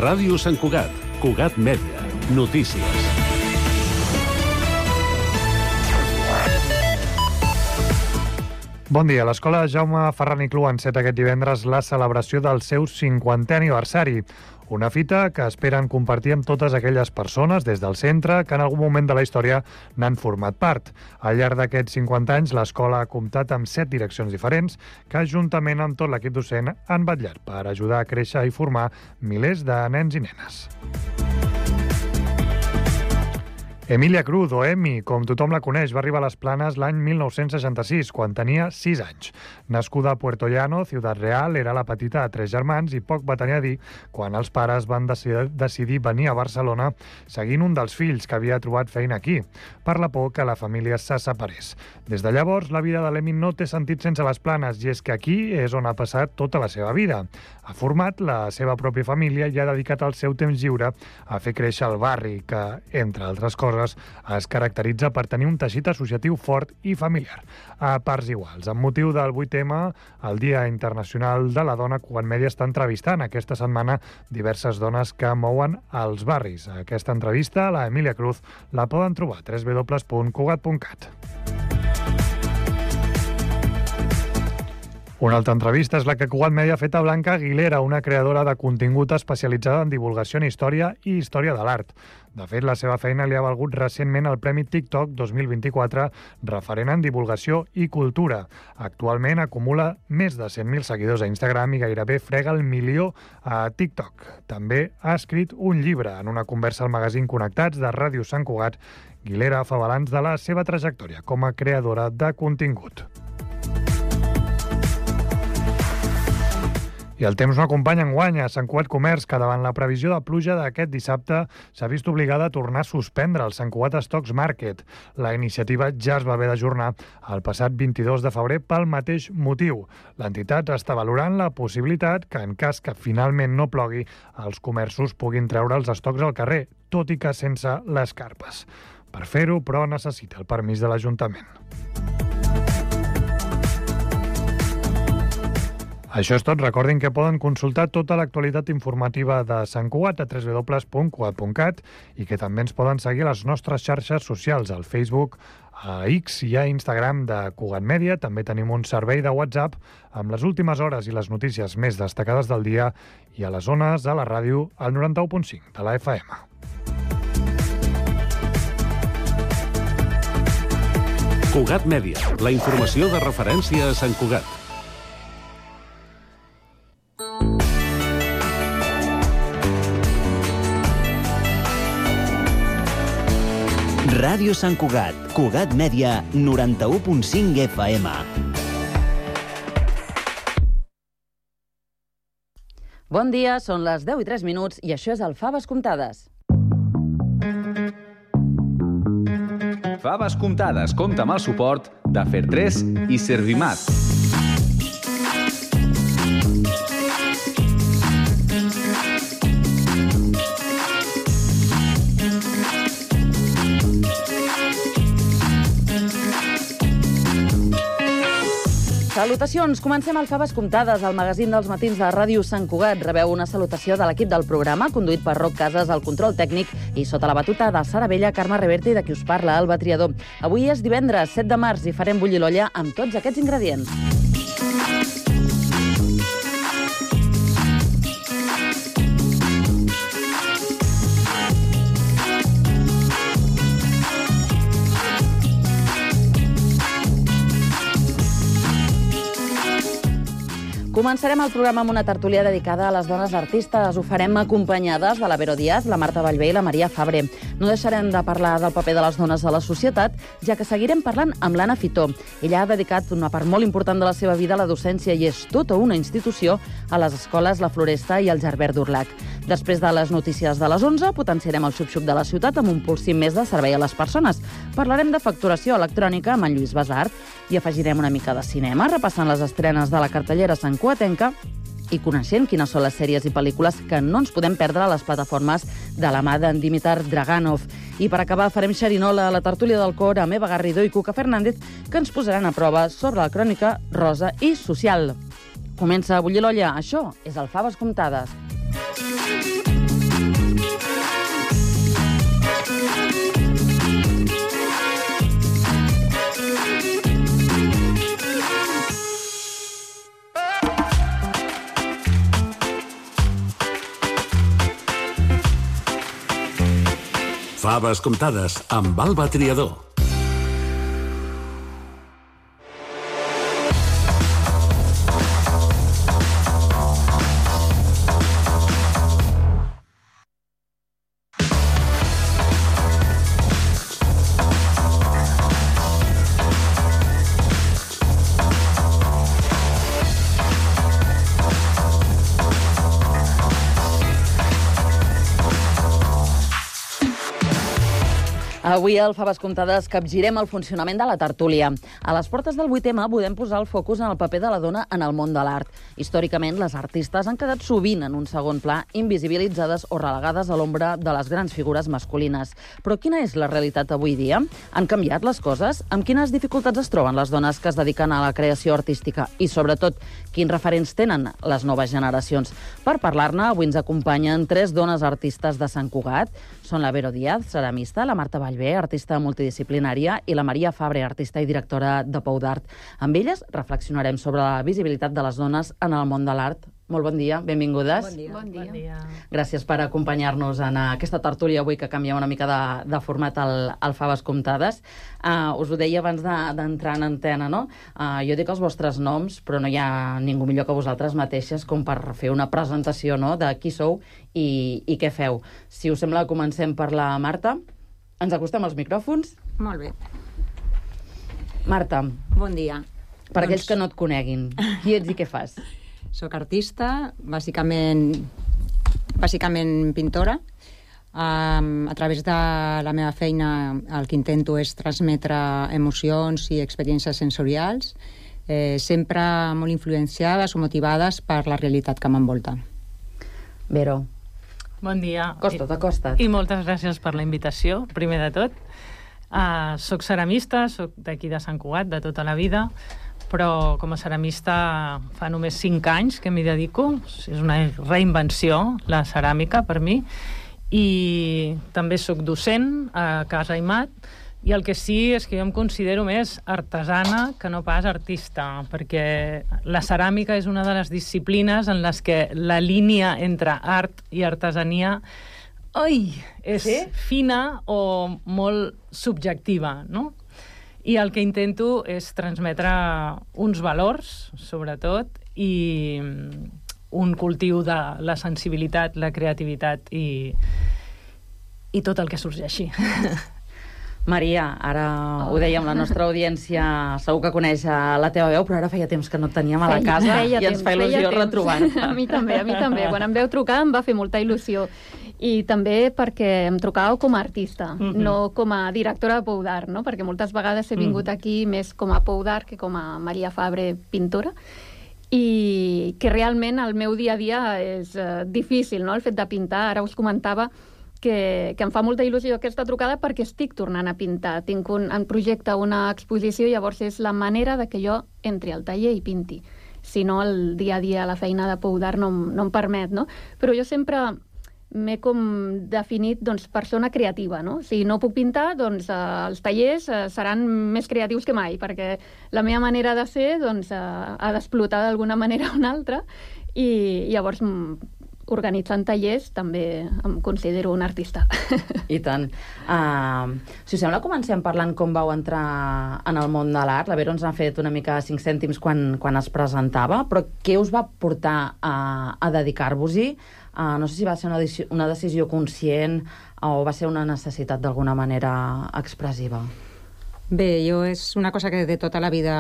Ràdio Sant Cugat, Cugat Mèdia, notícies. Bon dia. L'Escola Jaume Ferran i Clú enceta aquest divendres la celebració del seu 50è aniversari. Una fita que esperen compartir amb totes aquelles persones des del centre que en algun moment de la història n'han format part. Al llarg d'aquests 50 anys, l'escola ha comptat amb 7 direccions diferents que, juntament amb tot l'equip docent, han vetllat per ajudar a créixer i formar milers de nens i nenes. Emilia Cruz, o Emi, com tothom la coneix, va arribar a les Planes l'any 1966, quan tenia 6 anys. Nascuda a Puerto Llano, Ciutat Real, era la petita de 3 germans i poc va tenir a dir quan els pares van decidir venir a Barcelona seguint un dels fills que havia trobat feina aquí, per la por que la família se separés. Des de llavors, la vida de l'Emi no té sentit sense les Planes, i és que aquí és on ha passat tota la seva vida. Ha format la seva pròpia família i ha dedicat el seu temps lliure a fer créixer el barri, que, entre altres coses, es caracteritza per tenir un teixit associatiu fort i familiar, a parts iguals. Amb motiu del 8M, el Dia Internacional de la Dona, Cugat Mèdia està entrevistant aquesta setmana diverses dones que mouen els barris. Aquesta entrevista, la Emilia Cruz, la poden trobar a www.cugat.cat. Una altra entrevista és la que Cugat Mèdia ha fet a Blanca Aguilera, una creadora de contingut especialitzada en divulgació en història i història de l'art. De fet, la seva feina li ha valgut recentment el Premi TikTok 2024, referent en divulgació i cultura. Actualment acumula més de 100.000 seguidors a Instagram i gairebé frega el 1.000.000 a TikTok. També ha escrit un llibre. En una conversa al magazín Connectats de Ràdio Sant Cugat, Aguilera fa balanç de la seva trajectòria com a creadora de contingut. I el temps no acompanya enguany a Sant Cugat Comerç, que davant la previsió de pluja d'aquest dissabte s'ha vist obligada a tornar a suspendre el Sant Cugat Stocks Market. La iniciativa ja es va haver d'ajornar el passat 22 de febrer pel mateix motiu. L'entitat està valorant la possibilitat que, en cas que finalment no plogui, els comerços puguin treure els estocs al carrer, tot i que sense les carpes. Per fer-ho, però, necessita el permís de l'Ajuntament. Això és tot. Recordin que poden consultar tota l'actualitat informativa de Sant Cugat a www.cugat.cat i que també ens poden seguir a les nostres xarxes socials, al Facebook, a X i a Instagram de Cugat Mèdia. També tenim un servei de WhatsApp amb les últimes hores i les notícies més destacades del dia i a les zones de la ràdio al 91.5 de la FM. Cugat Mèdia, la informació de referència a Sant Cugat. Ràdio Sant Cugat, Cugat Mèdia, 91.5 FM. Bon dia, són les 10:03 i això és el Faves Comptades. Faves Comptades compta amb el suport de Fer3 i Servimat. Salutacions! Comencem el Faves Comptades, el magazín dels matins de Ràdio Sant Cugat. Rebeu una salutació de l'equip del programa, conduït per Roc Casas, al control tècnic, i sota la batuta de Sara Vella, Carme Reverte i de qui us parla, Alba Triador. Avui és divendres, 7 de març, i farem bullir l'olla amb tots aquests ingredients. Començarem el programa amb una tertúlia dedicada a les dones artistes. Ho farem acompanyades de la Vero Díaz, la Marta Vallvé i la Maria Fabre. No deixarem de parlar del paper de les dones a la societat, ja que seguirem parlant amb l'Anna Fitó. Ella ha dedicat una part molt important de la seva vida a la docència i és tota una institució a les escoles La Floresta i el Gerbert d'Urlac. Després de les notícies de les 11, potenciarem el xup-xup de la ciutat amb un pulsim més de servei a les persones. Parlarem de facturació electrònica amb en Lluís Basart i afegirem una mica de cinema, repassant les estrenes de la cartellera santcugatenca i coneixent quines són les sèries i pel·lícules que no ens podem perdre a les plataformes de la mà d'en Dimitar Draganov. I per acabar farem xerinola a la tertúlia del cor amb Eva Garrido i Cuca Fernández, que ens posaran a prova sobre la crònica rosa i social. Comença a bullir l'olla. Això és el Faves Comptades. Faves comptades amb Alba Triador. Avui al Faves Comptades capgirem el funcionament de la tertúlia. A les portes del 8M podem posar el focus en el paper de la dona en el món de l'art. Històricament, les artistes han quedat sovint en un segon pla, invisibilitzades o relegades a l'ombra de les grans figures masculines. Però quina és la realitat avui dia? Han canviat les coses? Amb quines dificultats es troben les dones que es dediquen a la creació artística? I, sobretot, quins referents tenen les noves generacions? Per parlar-ne, avui ens acompanyen 3 dones artistes de Sant Cugat. Són la Vero Díaz, ceramista, la Marta Vallvé, artista multidisciplinària, i la Maria Fabre, artista i directora de Pou d'Art. Amb elles reflexionarem sobre la visibilitat de les dones en el món de l'art. Molt bon dia, benvingudes. Bon dia. Gràcies per acompanyar-nos en aquesta tertúlia avui que canvia una mica de format al Faves Comptades. Us ho deia abans d'entrar en antena, no? Jo dic els vostres noms, però no hi ha ningú millor que vosaltres mateixes com per fer una presentació, no?, de qui sou i què feu. Si us sembla, comencem per la Marta. Ens acostem als micròfons. Molt bé. Marta. Bon dia. Per aquells que no et coneguin, qui ets i què fas? Soc artista, bàsicament pintora. A través de la meva feina el que intento és transmetre emocions i experiències sensorials, sempre molt influenciades o motivades per la realitat que m'envolta. Vero. Bon dia. Acosta't. I moltes gràcies per la invitació, primer de tot. Soc ceramista, soc d'aquí de Sant Cugat, de tota la vida, però com a ceramista fa només 5 anys que m'hi dedico. És una reinvenció, la ceràmica, per mi. I també soc docent a Casa Aimat, i el que sí és que jo em considero més artesana que no pas artista, perquè la ceràmica és una de les disciplines en les que la línia entre art i artesania és fina o molt subjectiva, no? I el que intento és transmetre uns valors, sobretot, i un cultiu de la sensibilitat, la creativitat i tot el que sorgeixi. Maria, ara ho dèiem, la nostra audiència segur que coneix la teva veu, però ara feia temps que no et teníem a la casa i ens fa il·lusió retrobar-te. A mi també. Quan em veu trucar em va fer molta il·lusió. I també perquè em trucàveu com a artista, no com a directora de Pou d'Art, no? Perquè moltes vegades he vingut aquí més com a Pou d'Art que com a Maria Fabre, pintora, i que realment el meu dia a dia és difícil, no?, el fet de pintar. Ara us comentava que em fa molta il·lusió aquesta trucada perquè estic tornant a pintar. Tinc en projecte una exposició, llavors és la manera de que jo entri al taller i pinti. Si no, el dia a dia, la feina de Pou d'Art no em permet, no? Però jo sempre m'he com definit, doncs, persona creativa, no? Si no puc pintar, doncs els tallers seran més creatius que mai, perquè la meva manera de ser, doncs, ha d'explotar d'alguna manera o una altra, i llavors organitzant tallers també em considero un artista. I tant. Si us sembla, comencem parlant com vau entrar en el món de l'art. La Vero ens ha fet una mica 5 cèntims quan es presentava, però què us va portar a dedicar-vos-hi? No sé si va ser una decisió conscient o va ser una necessitat d'alguna manera expressiva. Bé, és una cosa que de tota la vida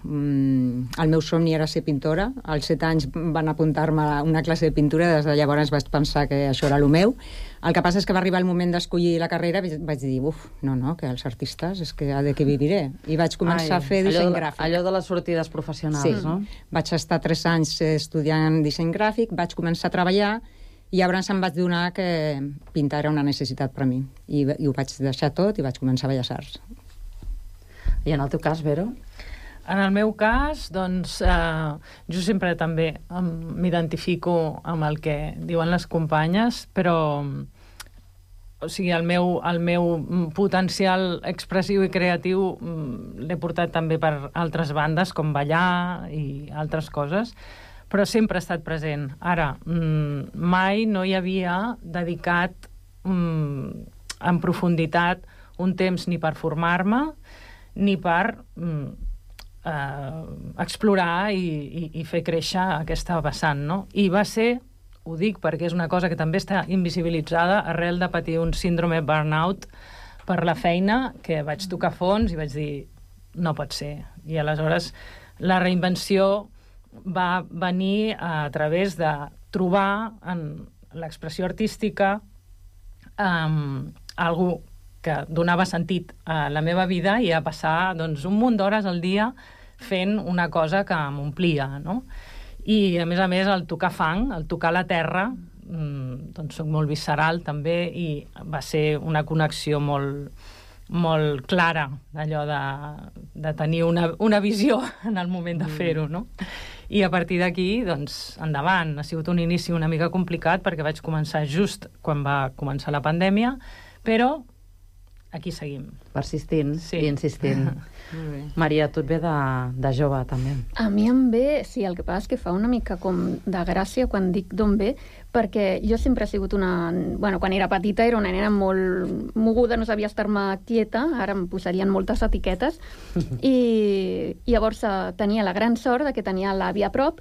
el meu somni era ser pintora. Als 7 anys van apuntar-me a una classe de pintura, des de llavors vaig pensar que això era el meu. El que passa és que va arribar el moment d'escollir la carrera i vaig dir, no, que els artistes és que de què viviré. I vaig començar a fer disseny gràfic. Allò de les sortides professionals, no? Vaig estar 3 anys estudiant disseny gràfic, vaig començar a treballar i llavors em vaig donar que pintar era una necessitat per a mi. I ho vaig deixar tot i vaig començar a Belles Arts. I en el teu cas, Vero? En el meu cas, doncs, jo sempre també m'identifico amb el que diuen les companyes, però o sigui, el meu potencial expressiu i creatiu l'he portat també per altres bandes, com ballar i altres coses, però sempre ha estat present. Ara, mai no hi havia dedicat en profunditat un temps ni per formar-me ni per explorar i fer créixer aquesta vessant, no? I va ser, ho dic perquè és una cosa que també està invisibilitzada, arrel de patir un síndrome burnout per la feina, que vaig tocar fons i vaig dir, no pot ser. I aleshores la reinvenció va venir a través de trobar en l'expressió artística algú que donava sentit a la meva vida i a passar doncs, un munt d'hores al dia fent una cosa que m'omplia, no? I, a més, el tocar fang, el tocar la terra, doncs soc molt visceral també, i va ser una connexió molt clara, allò de tenir una visió en el moment de fer-ho, no? I a partir d'aquí, doncs, endavant. Ha sigut un inici una mica complicat perquè vaig començar just quan va començar la pandèmia, però aquí seguim. Persistint i insistint. Maria, tu et ve de jove, també. A mi em ve, sí, el que passa és que fa una mica com de gràcia quan dic d'on ve, perquè jo sempre he sigut una... Bueno, quan era petita era una nena molt moguda, no sabia estar-me quieta, ara em posarien moltes etiquetes, i llavors tenia la gran sort de que tenia l'àvia a prop,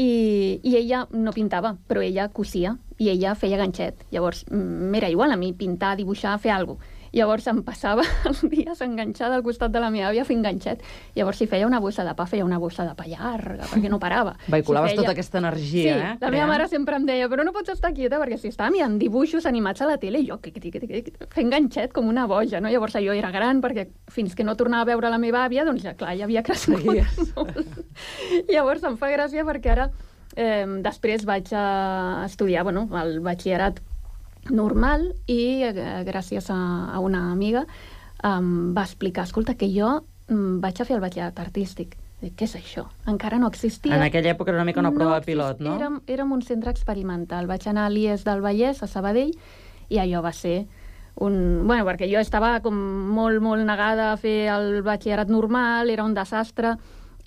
i ella no pintava, però ella cosia, i ella feia ganxet. Llavors, m'era igual a mi pintar, dibuixar, fer alguna cosa. Llavors em passava els dies enganxada al costat de la meva àvia fent ganxet. Llavors, si feia una bossa de pa, feia una bossa de pa llarga, perquè no parava. Vehiculaves tota aquesta energia, sí, la meva mare sempre em deia, però no pots estar quieta, perquè si estava mirant dibuixos animats a la tele, i jo fent ganxet com una boja, no? Llavors, jo era gran, perquè fins que no tornava a veure la meva àvia, doncs ja, clar, ja havia crescut molt. Llavors, em fa gràcia perquè ara, després vaig estudiar, el batxillerat normal, i gràcies a una amiga va explicar, escolta, que jo vaig a fer el batxillerat artístic. Dic, què és això? Encara no existia. En aquella època era una mica una prova pilot, no? Érem un centre experimental. Vaig anar a l'IES del Vallès, a Sabadell, i allò va ser Bueno, perquè jo estava com molt negada a fer el batxillerat normal, era un desastre,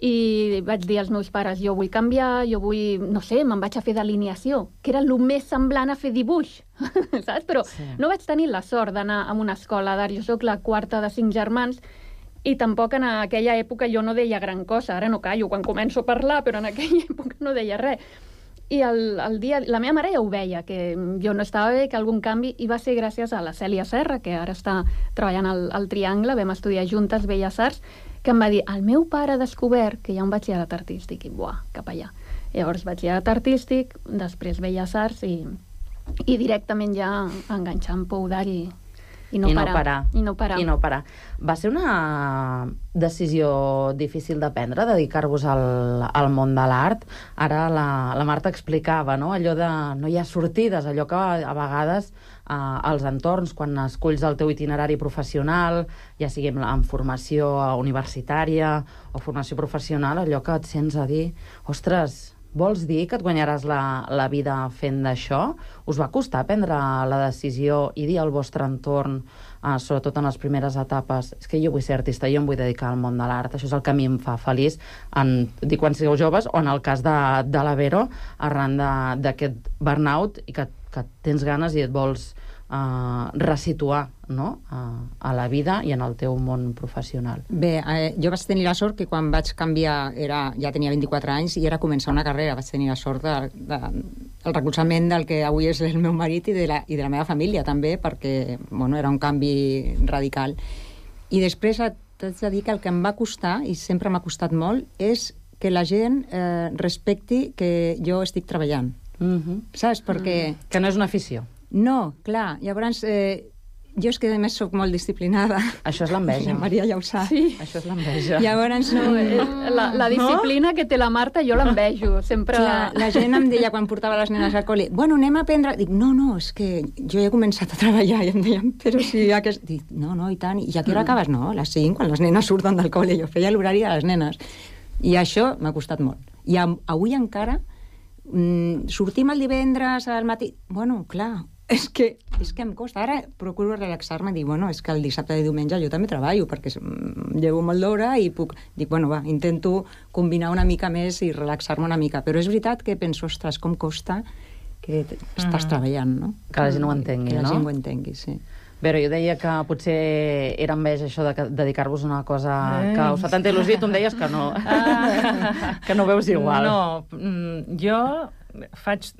i vaig dir als meus pares, jo vull canviar, jo vull, no sé, me'n vaig a fer d'alineació, que era el més semblant a fer dibuix, saps? Però no vaig tenir la sort d'anar a una escola d'art. Jo sóc la quarta de 5 germans, i tampoc en aquella època jo no deia gran cosa. Ara no callo quan començo a parlar, però en aquella època no deia res. I el dia, la meva mare ja ho veia, que jo no estava bé, que algun canvi, i va ser gràcies a la Cèlia Serra, que ara està treballant al Triangle, vam estudiar juntes Belles Arts, que em va dir, el meu pare ha descobert que hi ha un batxillerat artístic, i buah, cap allà. Llavors, batxillerat artístic, després Belles Arts, i directament ja enganxar en Pou d'Art i no parar. Va ser una decisió difícil de prendre, dedicar-vos al món de l'art. Ara la Marta explicava, no? Allò de no hi ha sortides, allò que a vegades als entorns, quan esculls el teu itinerari professional, ja sigui en formació universitària o formació professional, allò que et sents a dir, ostres, vols dir que et guanyaràs la vida fent d'això? Us va costar prendre la decisió i dir al vostre entorn, sobretot en les primeres etapes, és que jo vull ser artista, jo em vull dedicar al món de l'art, això és el que a mi em fa feliç, dic quan sigueu joves, o en el cas de la Vero, arran d'aquest burnout, i que tens ganes i et vols resituar, no? A la vida i en el teu món professional. Bé, jo vaig tenir la sort que quan vaig canviar ja tenia 24 anys i era començar una carrera. Vaig tenir la sort del recolzament del que avui és el meu marit i de la meva família també, perquè era un canvi radical. I després t'haig de dir que el que em va costar, i sempre m'ha costat molt, és que la gent respecti que jo estic treballant. Saps? Perquè... Que no és una afició. No, clar. Llavors, jo és que a més soc molt disciplinada. Això és l'enveja. La Maria ja ho sap. Sí. Això és l'enveja. Llavors, la disciplina que té la Marta jo l'envejo. Sempre... Clar, la gent em deia quan portava les nenes al col·le, bueno, anem a aprendre... Dic, no, és que jo he començat a treballar, i em deien, però si... Dic, no, i tant. I a què hora acabes? No, a les 5, quan les nenes surten del col·le. Jo feia l'horari de les nenes. I això m'ha costat molt. I avui encara sortim el divendres al matí... Bueno, clar, és que em costa. Ara procuro relaxar-me i dir, és que el dissabte i diumenge jo també treballo, perquè llevo molt d'hora i puc... Dic, intento combinar una mica més i relaxar-me una mica. Però és veritat que penso, ostres, com costa que estàs treballant, no? Que la gent ho entengui, no? Que la gent ho entengui, sí. Però jo deia que potser era enveja això de dedicar-vos a una cosa que us fa tanta il·lusió i tu em deies que no, que no veus igual. No, jo faig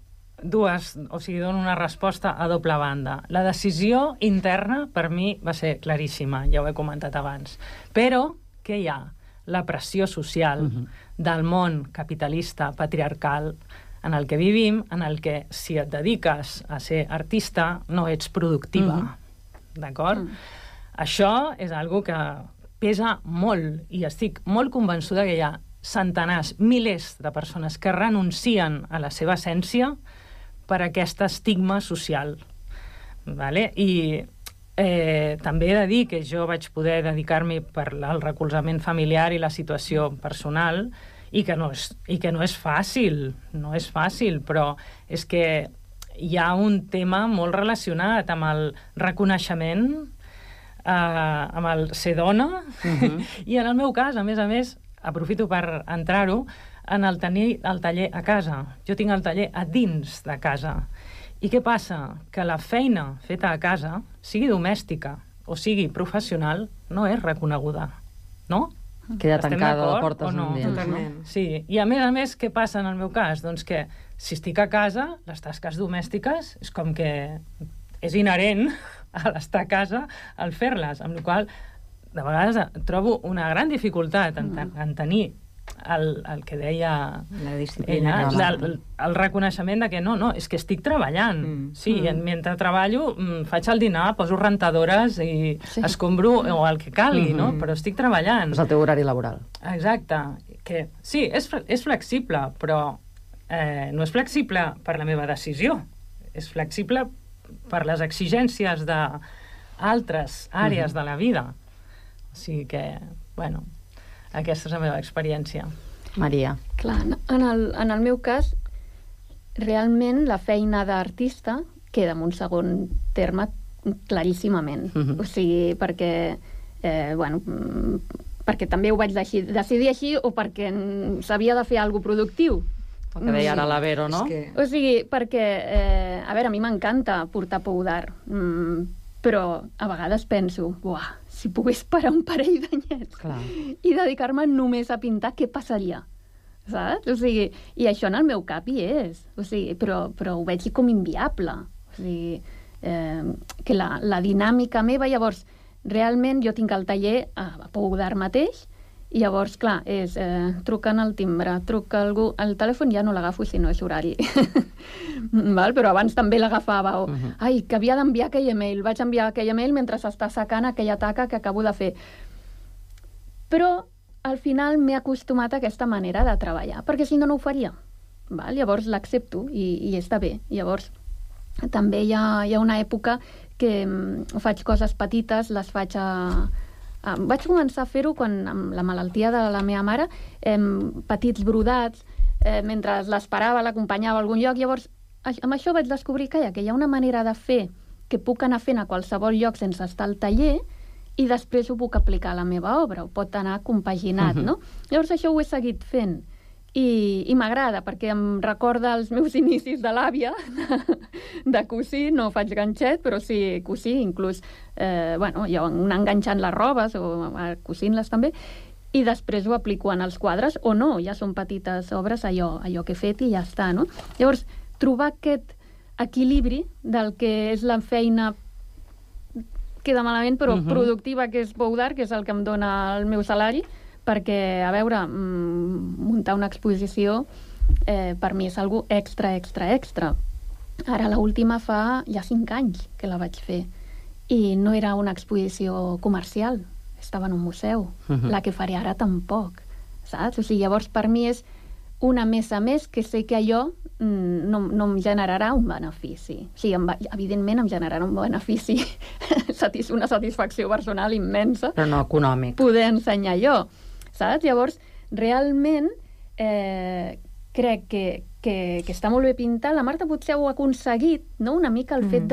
dono una resposta a doble banda. La decisió interna per mi va ser claríssima, ja ho he comentat abans. Però què hi ha? La pressió social del món capitalista, patriarcal, en el que vivim, en el que si et dediques a ser artista no ets productiva. D'acord? Això és algo que pesa molt i estic molt convençuda que hi ha centenars, milers de persones que renuncien a la seva essència per aquest estigma social. Vale? I també he de dir que jo vaig poder dedicar-me per al recolzament familiar i la situació personal i que no és fàcil, però és que hi ha un tema molt relacionat amb el reconeixement, amb el ser dona, i en el meu cas, a més, aprofito per entrar-ho, en el tenir el taller a casa. Jo tinc el taller a dins de casa. I què passa? Que la feina feta a casa, sigui domèstica o sigui professional, no és reconeguda, no? Queda tancada la porta no? Totalment. Sí, i a més, què passa en el meu cas? Doncs que si estic a casa, les tasques domèstiques és com que és inherent a l'estar a casa el fer-les, amb la qual cosa de vegades trobo una gran dificultat en tenir el que deia la disciplina, el reconeixement de que no, és que estic treballant. Sí, mentre treballo faig el dinar, poso rentadores i escombro o el que calgui, no? Però estic treballant. És el teu horari laboral. Exacte. Que, sí, és flexible, però no és flexible per la meva decisió. És flexible per les exigències d'altres àrees de la vida. O sigui que, bueno, aquesta és la meva experiència. Maria. Clar, en el meu cas, realment la feina d'artista queda en un segon terme claríssimament. O sigui, perquè perquè també ho vaig decidir així o perquè s'havia de fer alguna cosa productiu. El que deia ara la Vero, no? O sigui, perquè, a veure, a mi m'encanta portar pou d'art, però a vegades penso, si pogués parar un parell d'anyets i dedicar-me només a pintar, què passaria? Saps? O sigui, i això en el meu cap hi és. O sigui, però ho veig com inviable. O sigui, que la dinàmica meva, llavors, realment jo tinc el taller a Pou d'Art mateix, i llavors, clar, és truquen al timbre, truca algú, el telèfon ja no l'agafo si no és horari. Però abans també l'agafava, ai, que havia d'enviar aquell email, vaig enviar aquell email mentre s'està secant aquella taca que acabo de fer. Però al final m'he acostumat a aquesta manera de treballar, perquè si no, no ho faria. Llavors l'accepto i està bé. Llavors també hi ha una època que faig coses petites, les faig vaig començar a fer-ho quan, amb la malaltia de la meva mare, petits brodats, mentre l'esperava, l'acompanyava a algun lloc. Llavors, amb això vaig descobrir que hi ha una manera de fer que puc anar fent a qualsevol lloc sense estar al taller i després ho puc aplicar a la meva obra, ho pot anar compaginat, no? Llavors això ho he seguit fent i m'agrada perquè em recorda els meus inicis de l'àvia de cosir, no faig ganxet, però sí cosir, inclús jo anar enganxant les robes o cosint-les també, i després ho aplico en els quadres o no, ja són petites obres, allò que he fet i ja està, no? Llavors, trobar aquest equilibri del que és la feina queda malament, però productiva, que és Pou d'Art, que és el que em dona el meu salari, perquè, a veure, muntar una exposició per mi és algo extra. Ara l'última fa ja 5 anys que la vaig fer i no era una exposició comercial, estava en un museu. La que faré ara tampoc, saps? O sigui, llavors per mi és una més a més que sé que allò no em generarà un benefici. O sigui, evidentment em generarà un benefici, una satisfacció personal immensa. Però no econòmic. Poder ensenyar allò. Saps? Llavors, realment, crec que està molt bé pintar. La Marta potser ho ha aconseguit, no? Una mica el fet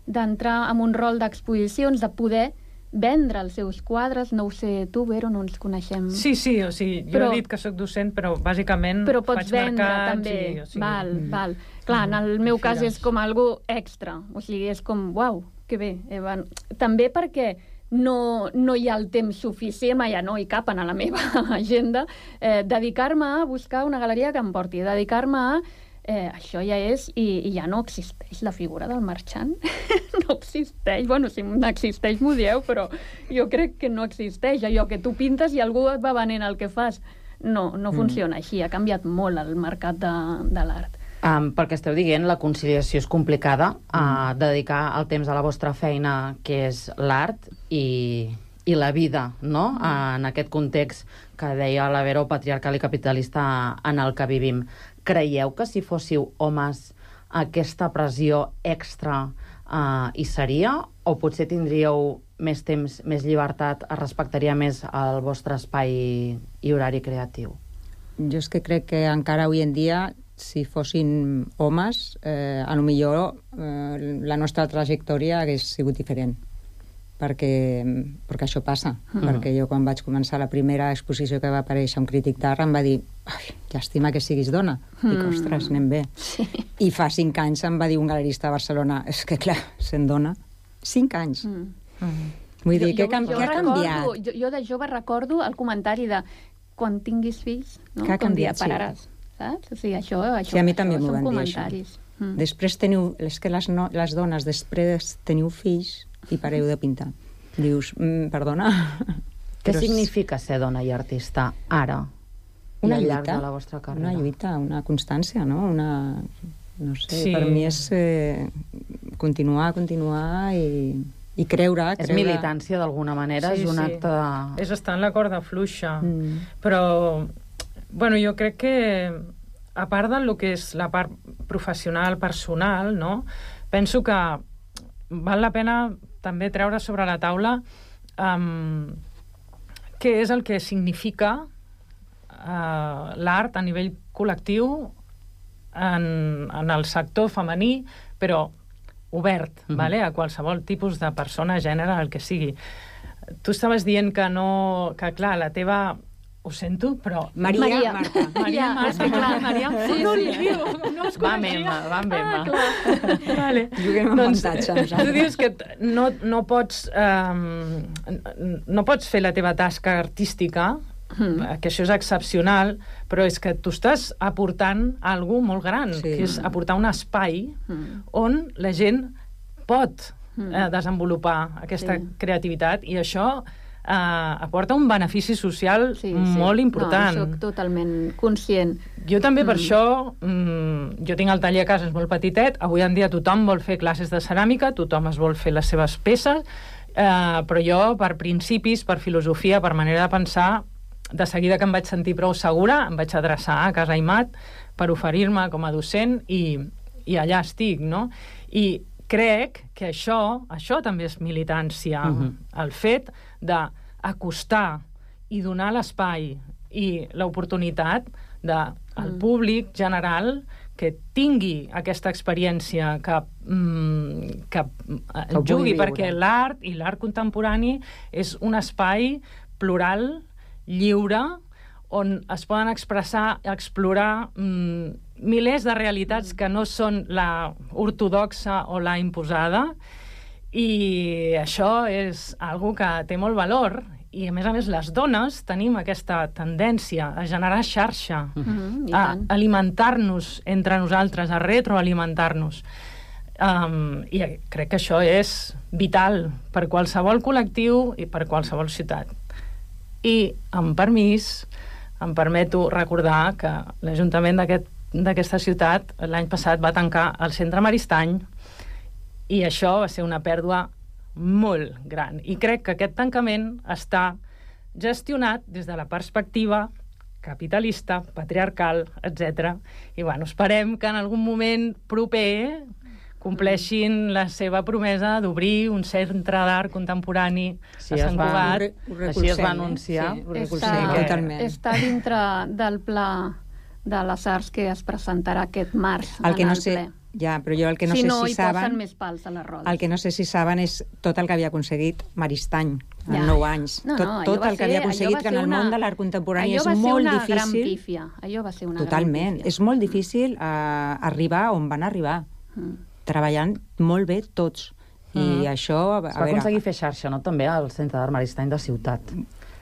d'entrar en un rol d'exposicions, de poder vendre els seus quadres. No ho sé, tu, Vero, no ens coneixem. Sí, o sigui, jo he dit que sóc docent, però bàsicament però pots faig vendre, mercats també. I, o sigui, Val. Clar, en el meu cas és com algo extra. O sigui, és com, uau, que bé. També perquè no hi ha el temps suficient, ja no hi capen a la meva agenda, dedicar-me a buscar una galeria que em porti, dedicar-me a... això ja és, i ja no existeix la figura del marxant. No existeix. Bueno, si n'existeix m'ho dieu, però jo crec que no existeix. Allò que tu pintes i algú et va venent el que fas. No funciona així. Ha canviat molt el mercat de l'art. Pel que esteu dient, la conciliació és complicada, dedicar el temps a la vostra feina, que és l'art, i la vida, no? En aquest context que deia la Vero, patriarcal i capitalista en el que vivim. Creieu que si fóssiu homes aquesta pressió extra hi seria? O potser tindríeu més temps, més llibertat, es respectaria més el vostre espai i horari creatiu? Jo és que crec que encara avui en dia, si fossin homes, a lo millor la nostra trajectòria hagués sigut diferent. Perquè això passa. Perquè jo, quan vaig començar la primera exposició que va aparèixer un crític d'art, em va dir, llàstima que siguis dona. Dic, ostres, anem bé. Sí. I fa 5 anys em va dir un galerista de Barcelona, és que clar, sent dona, 5 anys. Vull dir, què ha canviat? Jo de jove recordo el comentari de quan tinguis fills, no? Que ha canviat, sí. Pararàs, saps? O sigui, això sí, a mi també m'ho van dir, comentaris. Després teniu... És que les dones després teniu fills i pareu de pintar. Dius, perdona... Què significa ser dona i artista ara? Una al lluita, llarg de la vostra carrera? una lluita, una constància, no? No sé, Sí. per mi és continuar i creure. És militància d'alguna manera, és un acte de... És estar en la corda fluixa. Però, bueno, jo crec que a part del que és la part professional, personal, no? Penso que val la pena també treure sobre la taula què és el que significa l'art a nivell col·lectiu en el sector femení, però obert, vale? A qualsevol tipus de persona, gènere, el que sigui. Tu estaves dient que clar, la teva... Ho sento, però... Maria. Marta. És que clar, Maria em fot un lío. No es coneixia. Va amb Emma. Vale. Juguem amb avantatge. Tu dius que no pots fer la teva tasca artística, que això és excepcional, però és que tu estàs aportant alguna molt gran, que és aportar un espai on la gent pot desenvolupar aquesta creativitat, i això aporta un benefici social molt important. No, soc totalment conscient. Jo també per això, jo tinc el taller a casa, és molt petitet, avui en dia tothom vol fer classes de ceràmica, tothom es vol fer les seves peces, però jo, per principis, per filosofia, per manera de pensar, de seguida que em vaig sentir prou segura, em vaig adreçar a Casa Aimat per oferir-me com a docent i allà estic, no? I crec que això també és militància, el fet d'acostar i donar l'espai i l'oportunitat al públic general que tingui aquesta experiència, que jugui, perquè l'art i l'art contemporani és un espai plural, lliure, on es poden expressar, explorar milers de realitats que no són la ortodoxa o la imposada, i això és algo que té molt valor, i a més les dones tenim aquesta tendència a generar xarxa, a alimentar-nos entre nosaltres, a retroalimentar-nos, i crec que això és vital per qualsevol col·lectiu i per qualsevol ciutat. I, amb permís, em permeto recordar que l'Ajuntament d'aquesta ciutat l'any passat va tancar el Centre Maristany, i això va ser una pèrdua molt gran. I crec que aquest tancament està gestionat des de la perspectiva capitalista, patriarcal, etc. I bueno, esperem que en algun moment proper compleixin la seva promesa d'obrir un centre d'art contemporani a Sant Cugat. Així es va anunciar. Està dintre del pla de les arts que es presentarà aquest març en el ple. Ja, però jo el que no sé si saben... posen més pals a les rodes. El que no sé si saben és tot el que havia aconseguit Maristany en 9 anys. Tot el que havia aconseguit, que en el món de l'art contemporani és molt difícil. Allò va ser una gran pífia. Totalment. És molt difícil arribar on van arribar. Treballant molt bé tots. I això... Es va aconseguir fer xarxa, no?, també al Centre d'Art Maristany de Ciutat.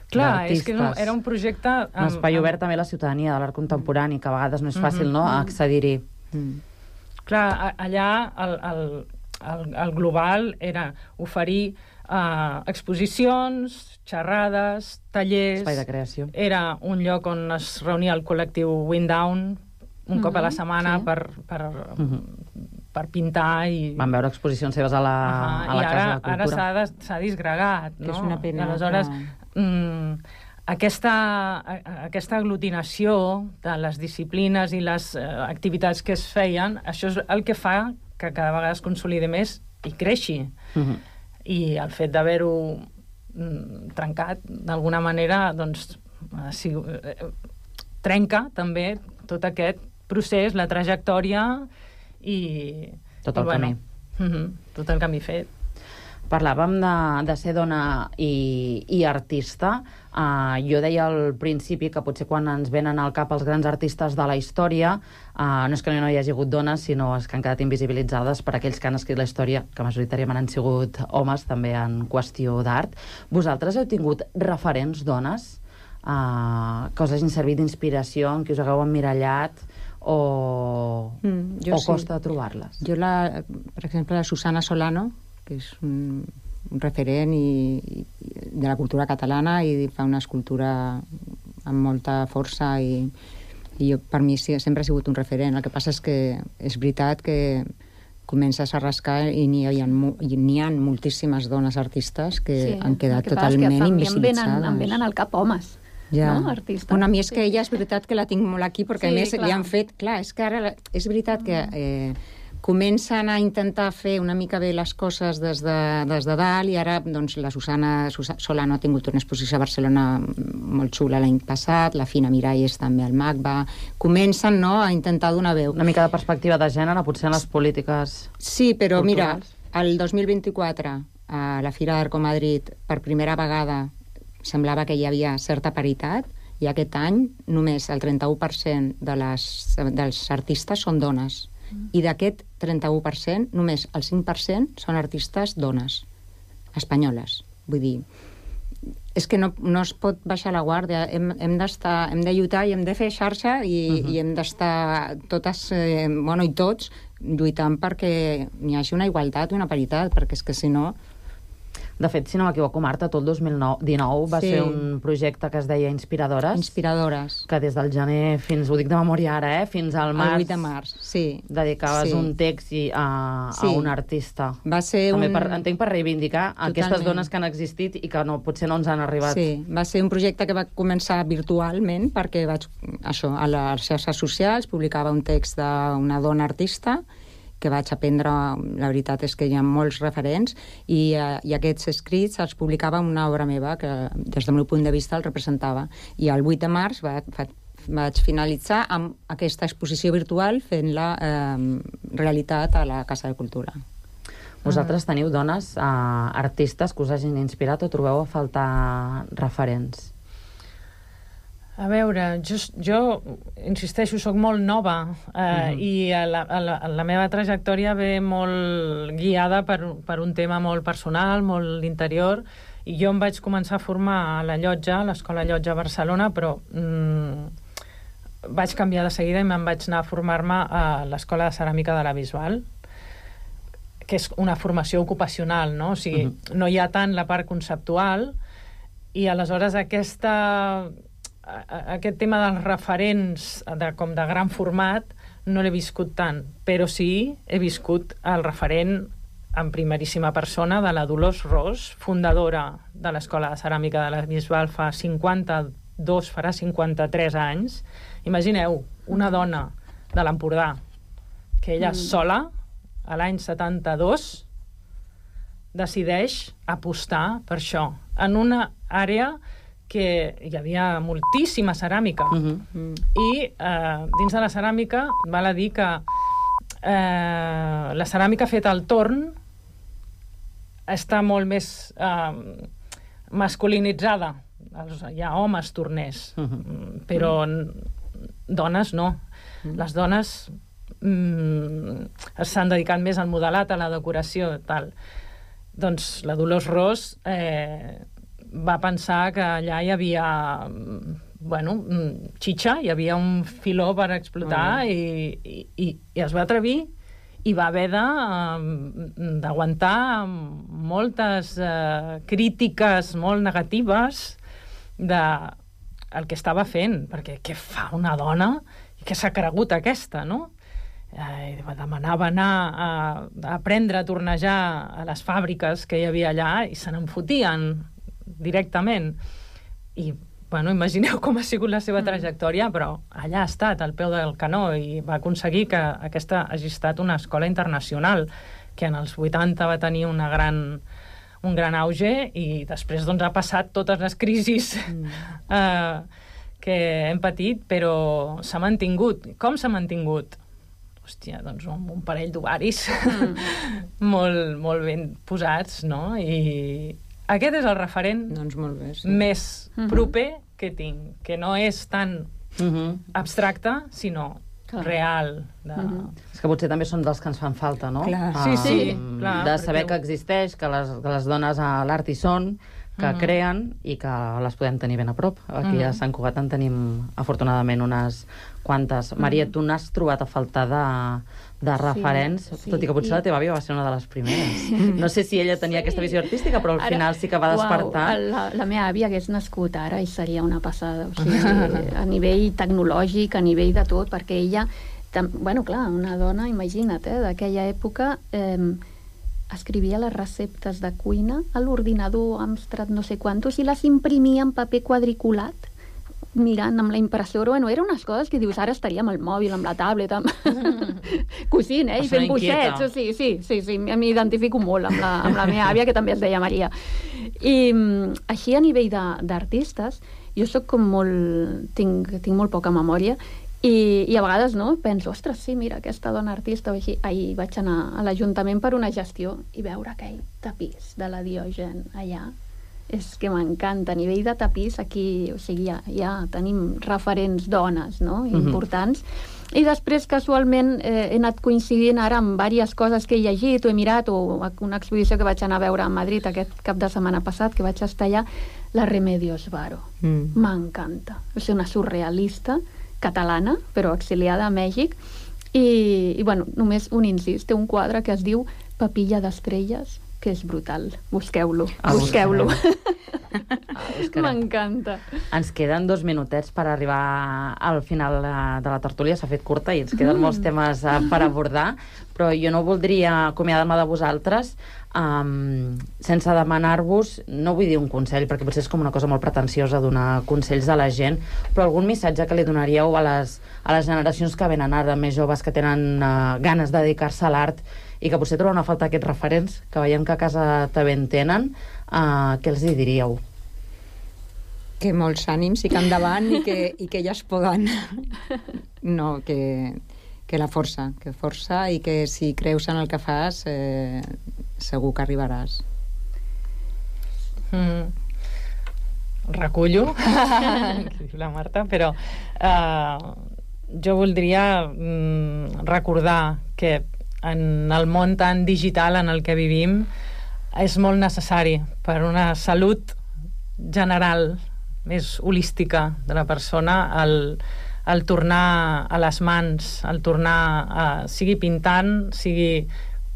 Clar, és que era un projecte... Un espai obert també a la ciutadania de l'art contemporani, que a vegades no és fàcil, no?, accedir-hi. Clar, allà el global era oferir exposicions, xerrades, tallers... Espai de creació. Era un lloc on es reunia el col·lectiu Wind Down un cop a la setmana per pintar i... Van veure exposicions seves a la Casa de la Cultura. I ara s'ha disgregat, no? Que és una pena. I aleshores, aquesta aglutinació de les disciplines i les activitats que es feien, això és el que fa que cada vegada es consolidi més i creixi. I el fet d'haver-ho trencat, d'alguna manera, doncs, trenca també tot aquest procés, la trajectòria i... Tot el camí. Tot el camí fet. Parlàvem de ser dona i artista. Jo deia al principi que potser quan ens venen al cap els grans artistes de la història no és que no hi hagi hagut dones, sinó que han quedat invisibilitzades per aquells que han escrit la història, que majoritàriament han sigut homes, també en qüestió d'art. Vosaltres heu tingut referents dones que us hagin servit d'inspiració, en qui us hagueu emmirallat o costa trobar-les? Jo, per exemple, la Susana Solano, que és un referent de la cultura catalana i fa una escultura amb molta força i per mi sempre ha sigut un referent. El que passa és que és veritat que comences a rascar i n'hi ha moltíssimes dones artistes que han quedat totalment invisibilitzades. Em venen al cap homes. Ja. No, artista. Bueno, a mi és que ella és veritat que la tinc molt aquí, perquè a més li han fet... Clar, és que ara és veritat que comencen a intentar fer una mica bé les coses des de dalt i ara doncs, la Susana Solano ha tingut una exposició a Barcelona molt xula l'any passat, la Fina Miralles també al MACBA. Comencen a intentar donar veu. Una mica de perspectiva de gènere, potser en les polítiques Sí, però culturals. Mira, el 2024 a la Fira d'Arco Madrid per primera vegada semblava que hi havia certa paritat i aquest any només el 31% dels artistes són dones. I d'aquest 31%, només el 5% són artistes dones, espanyoles. Vull dir, és que no es pot baixar la guàrdia. Hem de lluitar i hem de fer xarxa i hem d'estar totes, i tots, lluitant perquè n'hi hagi una igualtat i una paritat, perquè és que si no... De fet, si no m'equivoco, Marta, tot el 2019 va ser un projecte que es deia Inspiradores. Inspiradores. Que des del gener fins, ho dic de memòria ara, fins al març. El 8 de març, sí. Dedicaves un text a un artista. Va ser també entenc per reivindicar aquestes dones que han existit i que potser no ens han arribat. Sí, va ser un projecte que va començar virtualment perquè vaig, a les xarxes socials, publicava un text d'una dona artista que vaig aprendre, la veritat és que hi ha molts referents, i aquests escrits els publicava una obra meva que, des del meu punt de vista, el representava. I el 8 de març vaig finalitzar amb aquesta exposició virtual fent-la realitat a la Casa de Cultura. Vosaltres teniu dones artistes que us hagin inspirat o trobeu a faltar referents? A veure, jo insisteixo, soc molt nova i la meva trajectòria ve molt guiada per un tema molt personal, molt interior, i jo em vaig començar a formar a la Llotja, a l'Escola Llotja a Barcelona, però vaig canviar de seguida i me'n vaig anar a formar-me a l'Escola de Ceràmica de la Bisbal, que és una formació ocupacional, no? O sigui, no hi ha tant la part conceptual, i aleshores aquest tema dels referents com de gran format no l'he viscut tant, però sí he viscut el referent en primeríssima persona de la Dolors Ros, fundadora de l'Escola de Ceràmica de la Bisbal farà 53 anys. Imagineu, una dona de l'Empordà que ella sola, a l'any 72, decideix apostar per això, en una àrea que hi havia moltíssima ceràmica. I dins de la ceràmica val a dir que la ceràmica feta al torn està molt més masculinitzada. Hi ha homes torners, però dones no. Les dones s'han dedicat més al modelat, a la decoració, tal. doncs la Dolors Ros va pensar que allà hi havia xitxa, hi havia un filó per explotar i es va atrevir i va haver d'aguantar moltes crítiques molt negatives del que estava fent, perquè què fa una dona i què s'ha cregut aquesta, no? Demanava anar a aprendre a tornejar a les fàbriques que hi havia allà i se n'en fotien directament. I imagineu com ha sigut la seva trajectòria, però allà ha estat, al peu del canó, i va aconseguir que aquesta hagi estat una escola internacional, que en els 80 va tenir un gran auge, i després ha passat totes les crisis que hem patit, però s'ha mantingut. Com s'ha mantingut? Hòstia, doncs un parell d'ovaris molt ben posats, no? I aquest és el referent més proper que tinc, que no és tan abstracte, sinó real. És que potser també són dels que ens fan falta, no? Sí. De saber que existeix, que les dones a l'art hi són, que creen i que les podem tenir ben a prop. Aquí a Sant Cugat en tenim, afortunadament, unes quantes. Maria, tu n'has trobat a faltar de referents, tot i que potser la teva àvia va ser una de les primeres. No sé si ella tenia aquesta visió artística, però al final sí que va despertar. La meva àvia hagués nascut ara i seria una passada. O sigui, a nivell tecnològic, a nivell de tot, perquè ella... Bueno, clar, una dona, imagina't, d'aquella època... escrivia les receptes de cuina a l'ordinador Amstrad no sé quantos i les imprimia en paper quadriculat mirant amb la impressora. Bueno, eren unes coses que dius, ara estaria amb el mòbil, amb la tablet, cosint, i fent boixets. Sí, m'identifico molt amb la meva àvia, que també es deia Maria. I així, a nivell d'artistes, jo soc com molt... Tinc molt poca memòria, i a vegades penso, ostres, sí, mira, aquesta dona artista o així. Ahir vaig anar a l'Ajuntament per una gestió i veure aquell tapís de la Diogen allà, és que m'encanta. A nivell de tapís aquí, o sigui, ja tenim referents dones, no?, importants. I després, casualment, he anat coincidint ara amb diverses coses que he llegit o he mirat, o una exposició que vaig anar a veure a Madrid aquest cap de setmana passat, que vaig estar allà, la Remedios Varo. M'encanta. És una surrealista catalana, però exiliada a Mèxic, i bueno, només un incís, té un quadre que es diu Papilla d'estrelles, que és brutal. Busqueu-lo. M'encanta. Ens queden 2 minutets per arribar al final de la tertúlia. S'ha fet curta i ens queden molts temes per abordar, però jo no voldria acomiadar-me de vosaltres sense demanar-vos, no vull dir un consell, perquè potser és com una cosa molt pretensiosa donar consells a la gent, però algun missatge que li donaríeu a les generacions que venen ara, més joves, que tenen ganes de dedicar-se a l'art i que potser troben a falta aquests referents, que veiem que a casa també en tenen, què els hi diríeu? Que molts ànims i que endavant i que elles poden. No, que la força, i que si creus en el que fas segur que arribaràs. Recullo la Marta, però jo voldria recordar que en el món tan digital en el que vivim és molt necessari per una salut general més holística de la persona el tornar a les mans, el tornar sigui pintant, sigui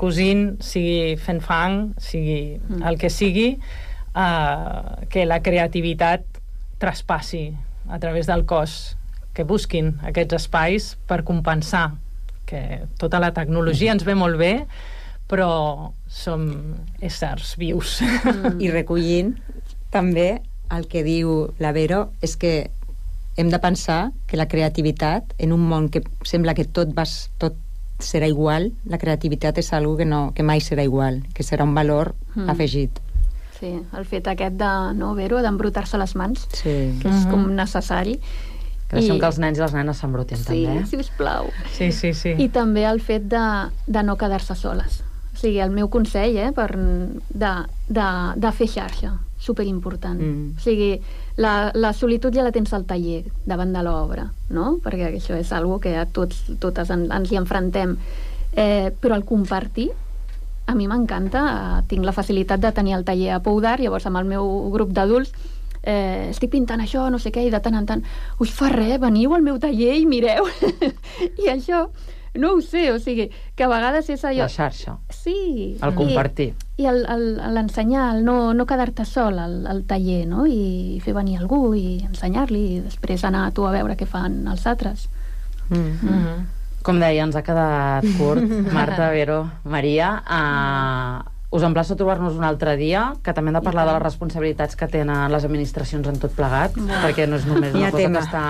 cosint, sigui fent fang, sigui el que sigui, que la creativitat traspassi a través del cos, que busquin aquests espais per compensar que tota la tecnologia ens ve molt bé, però som éssers vius. I recollint també el que diu la Vero, és que hem de pensar que la creativitat, en un món que sembla que tot serà igual, la creativitat és algo que mai serà igual, que serà un valor afegit. Sí, el fet aquest d'embrutar-se les mans, que és com necessari. Que deixem que els nens i les nenes s'embrutin, també. Sí, sisplau. Sí. I també el fet de no quedar-se soles. O sigui, el meu consell, de fer xarxa, superimportant. O sigui, la solitud ja la tens al taller, davant de l'obra, no? Perquè això és algo que a totes ens hi enfrontem. Però el compartir a mi m'encanta. Tinc la facilitat de tenir el taller a Pou d'Art, llavors amb el meu grup d'adults estic pintant això, no sé què, i de tant en tant us fa res, veniu al meu taller i mireu. I això, no ho sé, o sigui, que a vegades és allò... La xarxa. Sí. El compartir. I l'ensenyar, el no quedar-te sol al taller, no? I fer venir algú i ensenyar-li, i després anar tu a veure què fan els altres. Com deia, ens ha quedat curt. Marta, Vero, Maria, us emplaço a trobar-nos un altre dia, que també hem de parlar de les responsabilitats que tenen les administracions en tot plegat, perquè no és només una cosa que està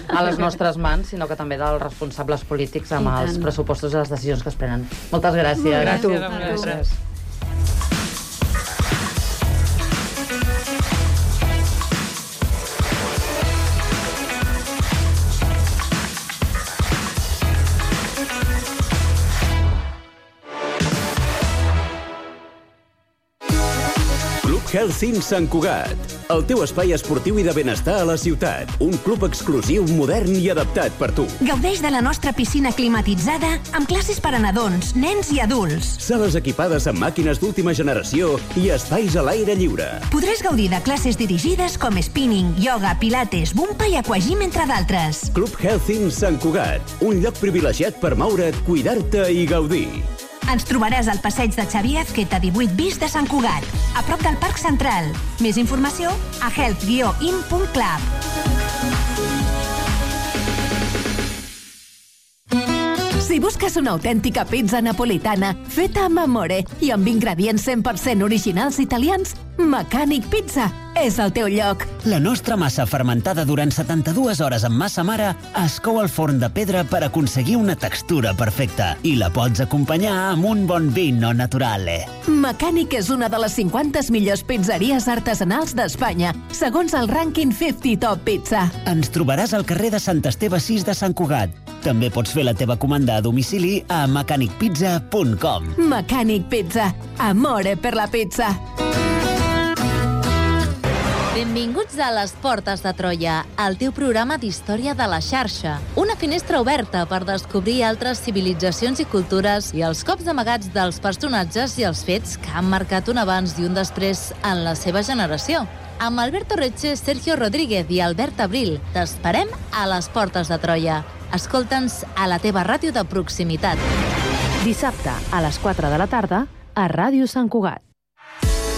a les nostres mans, sinó que també dels responsables polítics amb els pressupostos i les decisions que es prenen. Moltes gràcies. Gràcies. Health Inn Sant Cugat, el teu espai esportiu i de benestar a la ciutat. Un club exclusiu, modern i adaptat per tu. Gaudeix de la nostra piscina climatitzada amb classes per a nadons, nens i adults. Sales equipades amb màquines d'última generació i espais a l'aire lliure. Podràs gaudir de classes dirigides com spinning, yoga, pilates, bumpa i aquagym, entre d'altres. Club Health Inn Sant Cugat, un lloc privilegiat per moure't, cuidar-te i gaudir. Ens trobaràs al passeig de Xavier Azqueta 18 bis de Sant Cugat, a prop del Parc Central. Més informació a health-in.club. Si busques una autèntica pizza napolitana feta amb amore i amb ingredients 100% originals italians, Mecànic Pizza és el teu lloc. La nostra massa fermentada durant 72 hores amb massa mare es cou al forn de pedra per aconseguir una textura perfecta i la pots acompanyar amb un bon vino naturale. Mecànic és una de les 50 millors pizzeries artesanals d'Espanya, segons el rànquing 50 Top Pizza. Ens trobaràs al carrer de Sant Esteve 6 de Sant Cugat. També pots fer la teva comanda a domicili a mecanicpizza.com. Mecànic Pizza. Amore per la pizza. Benvinguts a Les Portes de Troia, el teu programa d'història de la xarxa. Una finestra oberta per descobrir altres civilitzacions i cultures i els cops amagats dels personatges i els fets que han marcat un abans i un després en la seva generació. Amb Alberto Reche, Sergio Rodríguez i Albert Abril, t'esperem a Les Portes de Troia. Escolta'ns a la teva ràdio de proximitat. Dissabte, a les 4 de la tarda, a Ràdio Sant Cugat.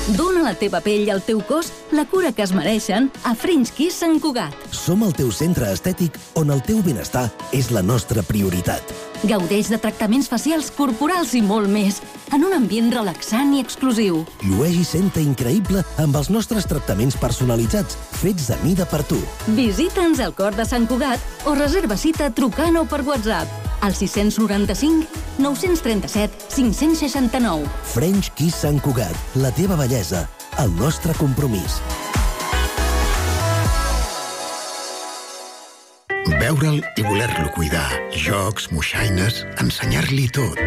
Dóna a la teva pell i al teu cos la cura que es mereixen a French Kiss Sant Cugat. Som el teu centre estètic on el teu benestar és la nostra prioritat. Gaudeix de tractaments facials, corporals i molt més, en un ambient relaxant i exclusiu. Llueix i senta increïble amb els nostres tractaments personalitzats, fets a mida per tu. Visita'ns al cor de Sant Cugat o reserva cita trucant o per WhatsApp al 695 937 569. French Kiss Sant Cugat, la teva bellesa, el nostre compromís. Veure'l i voler-lo cuidar. Jocs, moixaines, ensenyar-li tot.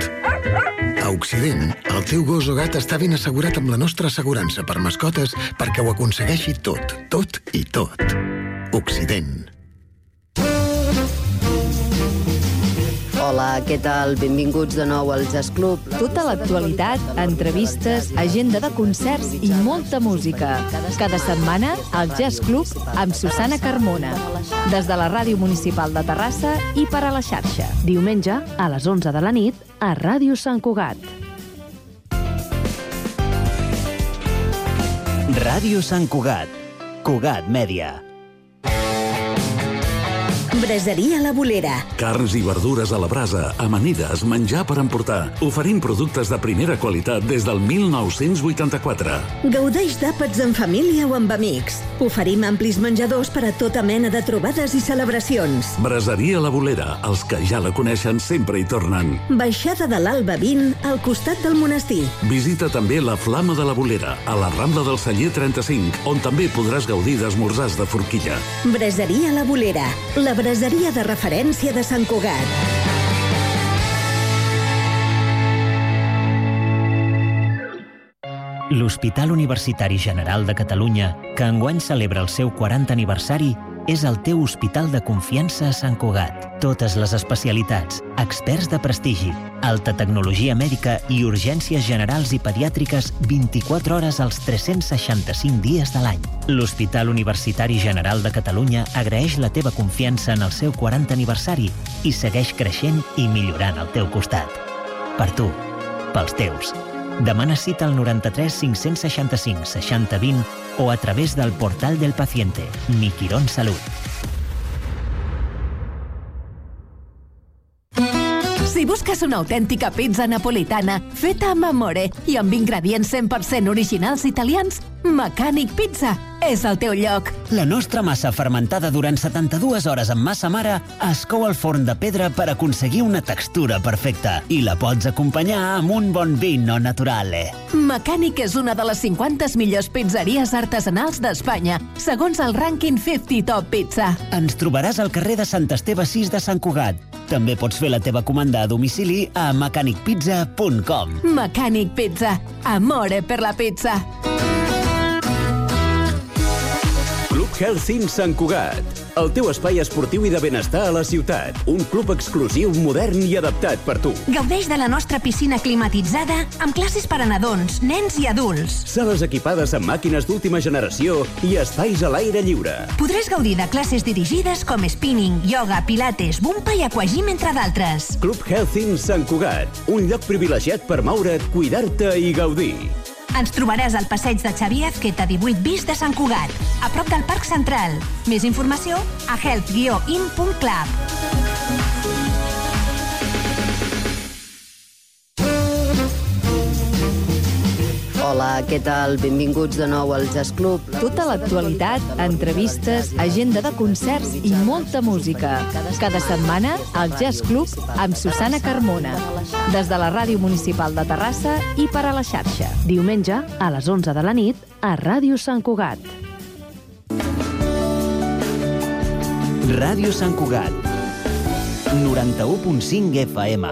A Occident, el teu gos o gat està ben assegurat amb la nostra assegurança per mascotes perquè ho aconsegueixi tot, tot i tot. Occident. Hola, què tal? Benvinguts de nou al Jazz Club. Tota l'actualitat, entrevistes, agenda de concerts i molta música. Cada setmana, al Jazz Club amb Susana Carmona. Des de la Ràdio Municipal de Terrassa i per a la xarxa. Diumenge, a les 11 de la nit, a Ràdio Sant Cugat. Ràdio Sant Cugat. Cugat Mèdia. Braseria La Bolera. Carns i verdures a la brasa, amanides, menjar per emportar. Oferim productes de primera qualitat des del 1984. Gaudeix d'àpats en família o amb amics. Oferim amplis menjadors per a tota mena de trobades i celebracions. Braseria La Bolera, els que ja la coneixen sempre hi tornen. Baixada de l'Alba 20, al costat del monestir. Visita també la Flama de la Bolera, a la Rambla del Celler 35, on també podràs gaudir d'esmorzars de forquilla. Braseria La Bolera, la braseria de referència de Sant Cugat. L'Hospital Universitari General de Catalunya, que enguany celebra el seu 40 aniversari, és el teu hospital de confiança a Sant Cugat. Totes les especialitats, experts de prestigi, alta tecnologia mèdica i urgències generals i pediàtriques 24 hores als 365 dies de l'any. L'Hospital Universitari General de Catalunya agraeix la teva confiança en el seu 40 aniversari i segueix creixent i millorant al teu costat. Per tu, pels teus. Demana cita al 93 565 60 20 o a través del portal del paciente, Mi Quirón Salut. Si busques una autèntica pizza napolitana feta amb amore i amb ingredients 100% originals italians, Mecànic Pizza és el teu lloc. La nostra massa fermentada durant 72 hores amb massa mare es cou al forn de pedra per aconseguir una textura perfecta i la pots acompanyar amb un bon vino naturale. Mecànic és una de les 50 millors pizzeries artesanals d'Espanya, segons el rànquing 50 Top Pizza. Ens trobaràs al carrer de Sant Esteve 6 de Sant Cugat. També pots fer la teva comanda a domicili a mecanicpizza.com. Mecànic Pizza. Amore per la pizza. Club Health Inn Sant Cugat. El teu espai esportiu i de benestar a la ciutat. Un club exclusiu, modern i adaptat per tu. Gaudeix de la nostra piscina climatitzada amb classes per a nadons, nens i adults. Sales equipades amb màquines d'última generació i espais a l'aire lliure. Podràs gaudir de classes dirigides com spinning, yoga, pilates, bumpa i aquagym, entre d'altres. Club Health Inn Sant Cugat. Un lloc privilegiat per moure't, cuidar-te i gaudir. Ens trobaràs al passeig de Xavier Azqueta 18 bis de Sant Cugat, a prop del Parc Central. Més informació a health-in.club. Hola, què tal? Benvinguts de nou al Jazz Club. Tota l'actualitat, entrevistes, agenda de concerts i molta música. Cada setmana, al Jazz Club amb Susana Carmona. Des de la Ràdio Municipal de Terrassa i per a la xarxa. Diumenge, a les 11 de la nit, a Ràdio Sant Cugat. Ràdio Sant Cugat. 91.5 FM.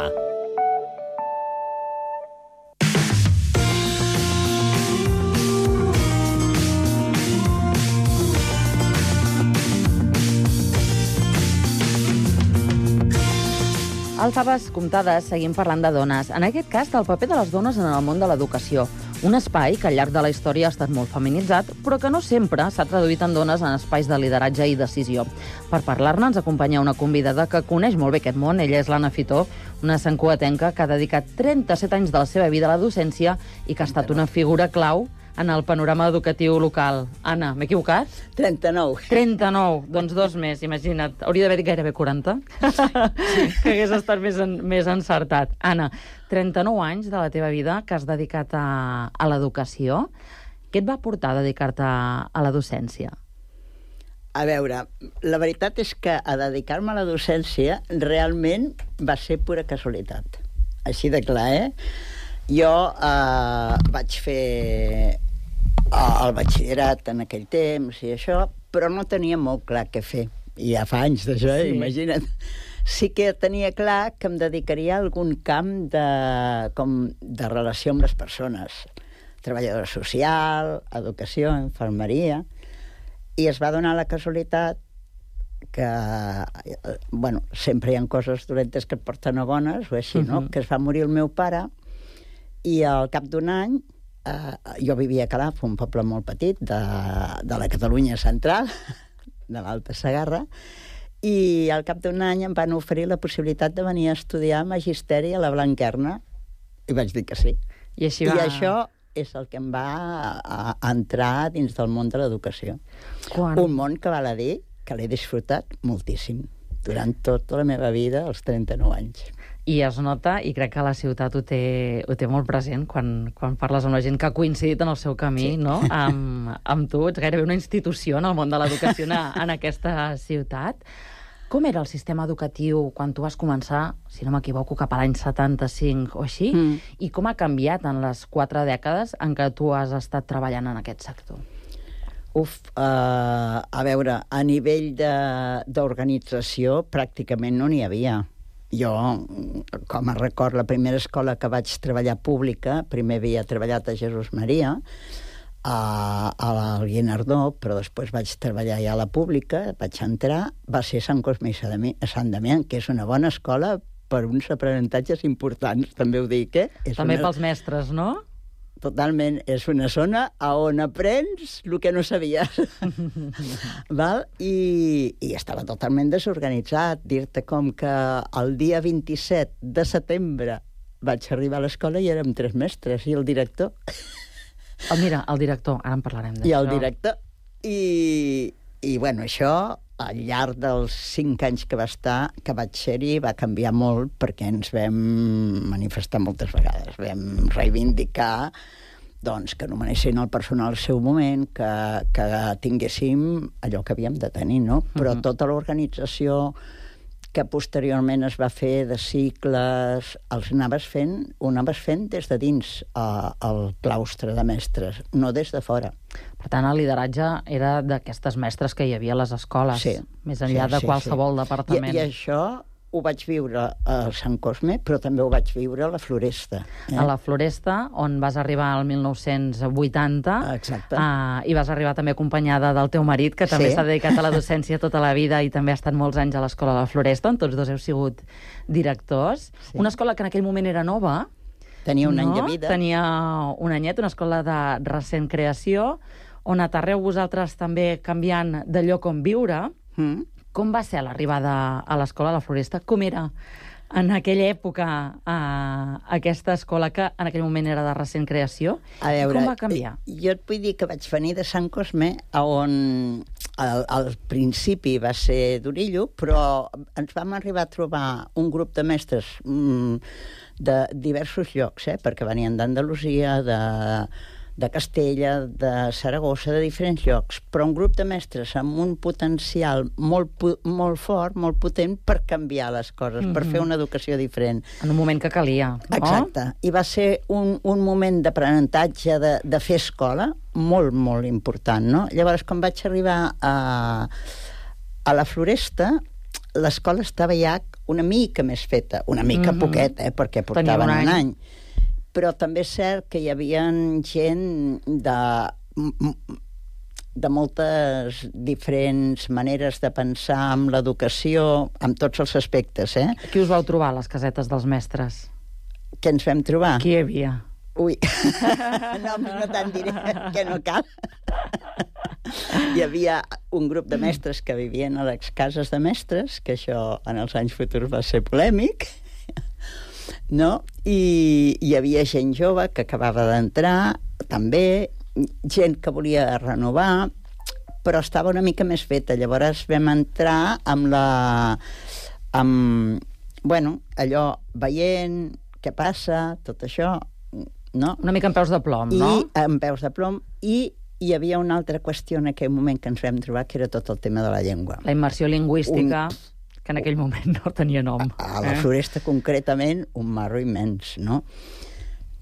Al Faves Comptades seguim parlant de dones. En aquest cas, del paper de les dones en el món de l'educació. Un espai que al llarg de la història ha estat molt feminitzat, però que no sempre s'ha traduït en dones en espais de lideratge i decisió. Per parlar-ne ens acompanya una convidada que coneix molt bé aquest món. Ella és l'Anna Fitó, una santcugatenca que ha dedicat 37 anys de la seva vida a la docència i que ha estat una figura clau en el panorama educatiu local. Anna, m'he equivocat? 39. 39, doncs 2 més, imagina't. Hauria d'haver dit gairebé 40. Sí. Que hagués estat més encertat. Anna, 39 anys de la teva vida que has dedicat a l'educació. Què et va portar a dedicar-te a la docència? A veure, la veritat és que a dedicar-me a la docència realment va ser pura casualitat. Així de clar, Jo vaig fer el batxillerat en aquell temps i això, però no tenia molt clar què fer. I ja fa anys d'això, imagina't. Sí que tenia clar que em dedicaria a algun camp de relació amb les persones. Treballadora social, educació, infermeria. I es va donar la casualitat que, sempre hi ha coses dolentes que et porten a bones, o així, no? Que es va morir el meu pare i al cap d'un any jo vivia a Calaf, un poble molt petit de la Catalunya central, de l'Alta Segarra, i al cap d'un any em van oferir la possibilitat de venir a estudiar magisteri a la Blanquerna, i vaig dir que sí. I això és el que em va entrar dins del món de l'educació. Un món que val a dir que l'he disfrutat moltíssim durant tota la meva vida, als 39 anys. I es nota, i crec que la ciutat ho té molt present quan parles amb la gent que ha coincidit en el seu camí, no? Amb tu. Ets gairebé una institució en el món de l'educació en aquesta ciutat. Com era el sistema educatiu quan tu vas començar, si no m'equivoco, cap a l'any 75 o així? I com ha canviat en les 4 dècades en què tu has estat treballant en aquest sector? A veure, a nivell d'organització pràcticament no n'hi havia. Jo, com a record, la primera escola que vaig treballar pública, primer havia treballat a Jesús Maria, al Guinardó, però després vaig treballar ja a la pública, vaig entrar, va ser Sant Cosme i Sant Damià, que és una bona escola per uns aprenentatges importants, també ho dic, També pels mestres, no? Totalment, és una zona on aprens el que no sabies. Val? I estava totalment desorganitzat. Dir-te com que el dia 27 de setembre vaig arribar a l'escola i érem 3 mestres i el director. Mira, el director, ara en parlarem d'això. I el director. I bueno, això, al llarg dels 5 anys que vaig ser-hi, va canviar molt perquè ens vam manifestar moltes vegades. Vam reivindicar doncs, que nomenessin el personal al seu moment, que tinguéssim allò que havíem de tenir, no? Però tota l'organització que posteriorment es va fer de cicles, ho anaves fent des de dins el claustre de mestres, no des de fora. Per tant, el lideratge era d'aquestes mestres que hi havia a les escoles, més enllà de qualsevol departament. I això ho vaig viure a Sant Cosme, però també ho vaig viure a la Floresta. A la Floresta, on vas arribar el 1980. Exacte. I vas arribar també acompanyada del teu marit, que també s'ha dedicat a la docència tota la vida i també ha estat molts anys a l'escola de la Floresta, on tots dos heu sigut directors. Una escola que en aquell moment era nova. Tenia un any de vida. Tenia un anyet, una escola de recent creació, on aterreu vosaltres també canviant de lloc on viure. Com va ser l'arribada a l'escola de la Floresta? Com era en aquella època aquesta escola que en aquell moment era de recent creació? A veure, com va canviar? Jo et vull dir que vaig venir de Sant Cosme, on al principi va ser d'Orillo, però ens vam arribar a trobar un grup de mestres de diversos llocs, perquè venien d'Andalusia, de Castella, de Saragossa, de diferents llocs, però un grup de mestres amb un potencial molt fort, molt potent per canviar les coses, per fer una educació diferent. En un moment que calia, no? Exacte. I va ser un moment d'aprenentatge, de fer escola, molt, molt important, no? Llavors, quan vaig arribar a la Floresta, l'escola estava ja una mica més feta, una mica poquet, perquè portaven un any. Però també és cert que hi havia gent de moltes diferents maneres de pensar amb l'educació, amb tots els aspectes, Qui us vau trobar a les casetes dels mestres? Què ens vam trobar? Qui hi havia? Ui, no te'n diré, que no cal. Hi havia un grup de mestres que vivien a les cases de mestres, que això en els anys futurs va ser polèmic, no? I hi havia gent jove que acabava d'entrar, també, gent que volia renovar, però estava una mica més feta. Llavors vam entrar amb allò, veient què passa, tot això, no? Una mica amb peus de plom, no? I amb peus de plom, i hi havia una altra qüestió en aquell moment que ens vam trobar, que era tot el tema de la llengua. La immersió lingüística, que en aquell moment no tenia nom. A la Floresta, concretament, un marro immens, no?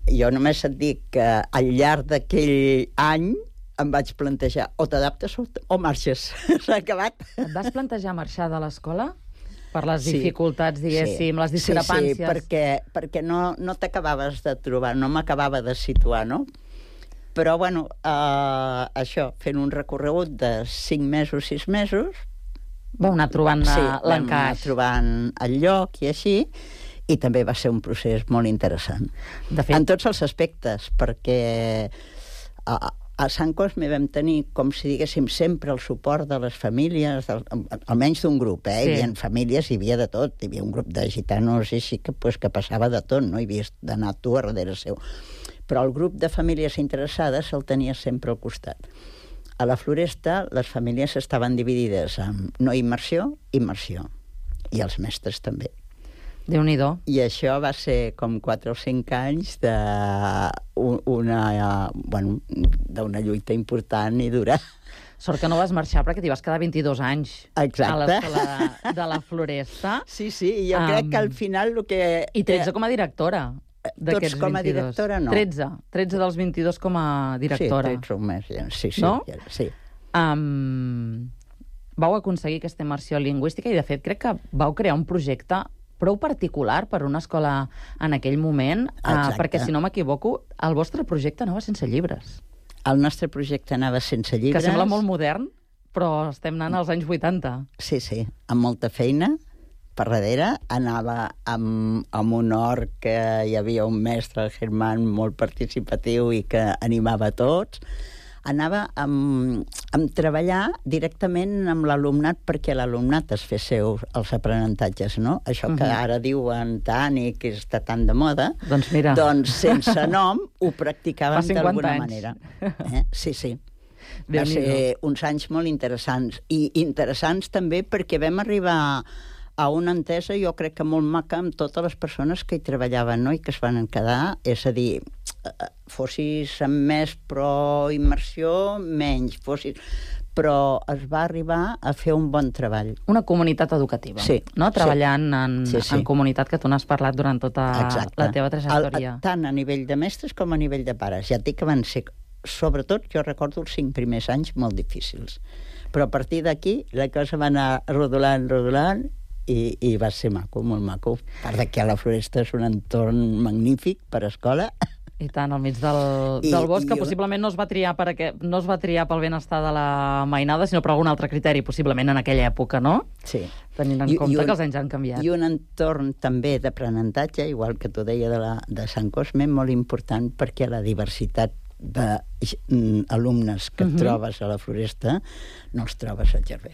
Jo només et dic que al llarg d'aquell any em vaig plantejar o t'adaptes o marxes. S'ha acabat. Et vas plantejar marxar de l'escola? Per les dificultats, diguéssim, les discrepàncies? Sí, perquè no t'acabaves de trobar, no m'acabava de situar, no? Però, bueno, això, fent un recorregut de 5 mesos, 6 mesos... Vau anar trobant l'encaix. Vam anar trobant el lloc i així, i també va ser un procés molt interessant. De fet, en tots els aspectes, perquè a Sant Cosme vam tenir, com si diguéssim, sempre el suport de les famílies, almenys d'un grup, Hi havia famílies, hi havia de tot, hi havia un grup de gitanos i així que passava de tot, no? Hi havies d'anar tu a darrere seu. Però el grup de famílies interessades el tenia sempre al costat. A la Floresta les famílies estaven dividides en no immersió, immersió. I els mestres també. Déu-n'hi-do. I això va ser com 4 o 5 anys d'una lluita important i dura. Sort que no vas marxar perquè t'hi vas quedar 22 anys. Exacte. A l'escola de la Floresta. Sí, i jo crec que al final el que... I 13 com a directora. Tots com a directora, no. 13 dels 22 com a directora. Sí, 13 o més, sí. No? Sí. Vau aconseguir aquesta immersió lingüística i, de fet, crec que vau crear un projecte prou particular per una escola en aquell moment, perquè, si no m'equivoco, el vostre projecte anava sense llibres. El nostre projecte anava sense llibres. Que sembla molt modern, però estem anant als anys 80. Sí, amb molta feina, per darrere, anava amb un hort que hi havia un mestre, el Germán, molt participatiu i que animava a tots. Anava amb treballar directament amb l'alumnat perquè l'alumnat es fes seu els aprenentatges, no? Això que ara diuen tant i que està tan de moda, doncs mira, doncs sense nom ho practicaven d'alguna manera. Sí, sí. Va ser uns anys molt interessants. I interessants també perquè vam arribar a una entesa, jo crec que molt maca, amb totes les persones que hi treballaven, no? I que es van quedar, és a dir, fossis amb més pro-immersió, menys, però es va arribar a fer un bon treball. Una comunitat educativa, no? Treballant en comunitat, que tu n'has parlat durant tota la teva trajectòria. Tant a nivell de mestres com a nivell de pares. Ja et dic que van ser, sobretot, jo recordo els 5 primers anys molt difícils. Però a partir d'aquí la cosa va anar rodolant, i va ser maco, molt maco. A part que a la Floresta és un entorn magnífic per escola. I tant, al mig del bosc, que possiblement no es va triar pel benestar de la mainada, sinó per algun altre criteri, possiblement en aquella època, no? Sí. Tenint en compte que els anys han canviat. I un entorn també d'aprenentatge, igual que tu deia de Sant Cosme, molt important, perquè la diversitat d'alumnes que trobes a la Floresta no els trobes al Gerver,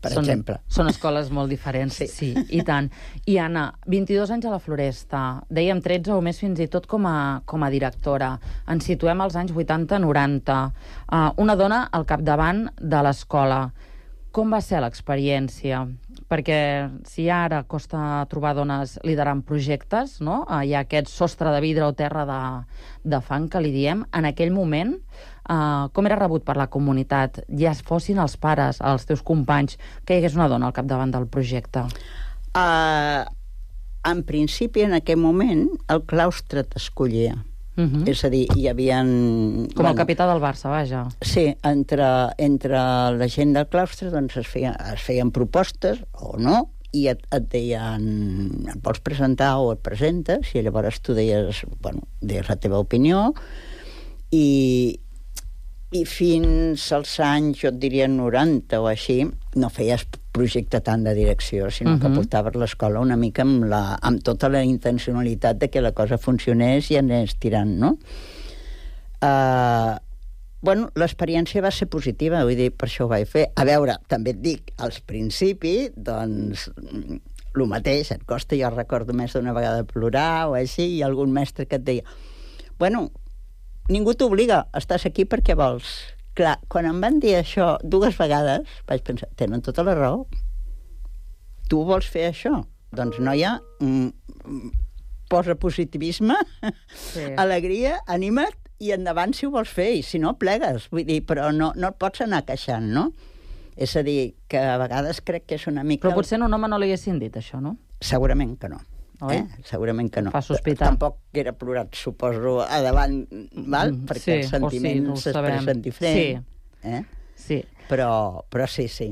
per exemple. Són escoles molt diferents, sí, i tant. I Anna, 22 anys a la Floresta, dèiem 13 o més fins i tot com a directora. Ens situem als anys 80-90. Una dona al capdavant de l'escola. Com va ser l'experiència? Perquè si ara costa trobar dones liderant projectes, no? Hi ha aquest sostre de vidre o terra de fang que li diem, en aquell moment, com era rebut per la comunitat? Ja fossin els pares, els teus companys, que hi hagués una dona al capdavant del projecte? En principi, en aquell moment, el claustre t'escollia. És a dir, hi havia... Com el capità del Barça, vaja. Sí, entre la gent del claustre doncs es feien propostes, o no, i et deien, et vols presentar o et presentes, i llavors tu deies la teva opinió, i fins als anys, jo et diria 90 o així, no feies projecte tant de direcció, sinó que portaves l'escola una mica amb tota la intencionalitat de que la cosa funcionés i anés tirant, no? L'experiència va ser positiva, vull dir, per això ho vaig fer. A veure, també et dic, als principis, doncs, el mateix, et costa, jo recordo més d'una vegada plorar o així, i algun mestre que et deia, ningú t'obliga, estàs aquí perquè vols. Clar, quan em van dir això 2 vegades, vaig pensar, tenen tota la raó. Tu vols fer això? Doncs, noia, posa positivisme, alegria, anima't, i endavant si ho vols fer, i si no, plegues. Vull dir, però no et pots anar queixant, no? És a dir, que a vegades crec que és una mica... Però potser a un home no li haguessin dit això, no? Segurament que no. Segurament que no. Fa sospitar. Tampoc era plorat, suposo, a davant, val? Perquè els sentiments s'expressen diferent. Sí. Però sí.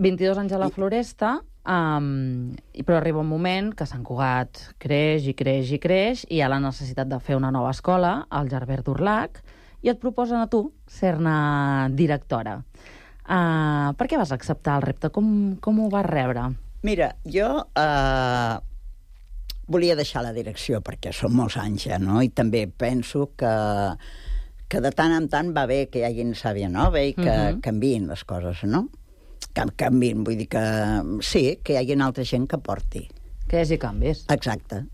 22 anys a la Floresta, però arriba un moment que Sant Cugat creix, i hi ha la necessitat de fer una nova escola, al Gerver d'Urlac, i et proposen a tu ser-ne directora. Per què vas acceptar el repte? Com ho vas rebre? Mira, jo... volia deixar la direcció, perquè són molts anys ja, no? I també penso que de tant en tant va bé que hi hagi sàvia nova i que canviïn les coses, no? Que canviïn, vull dir que sí, que hi hagi altra gent que porti. Que hi hagi canvis. Exacte.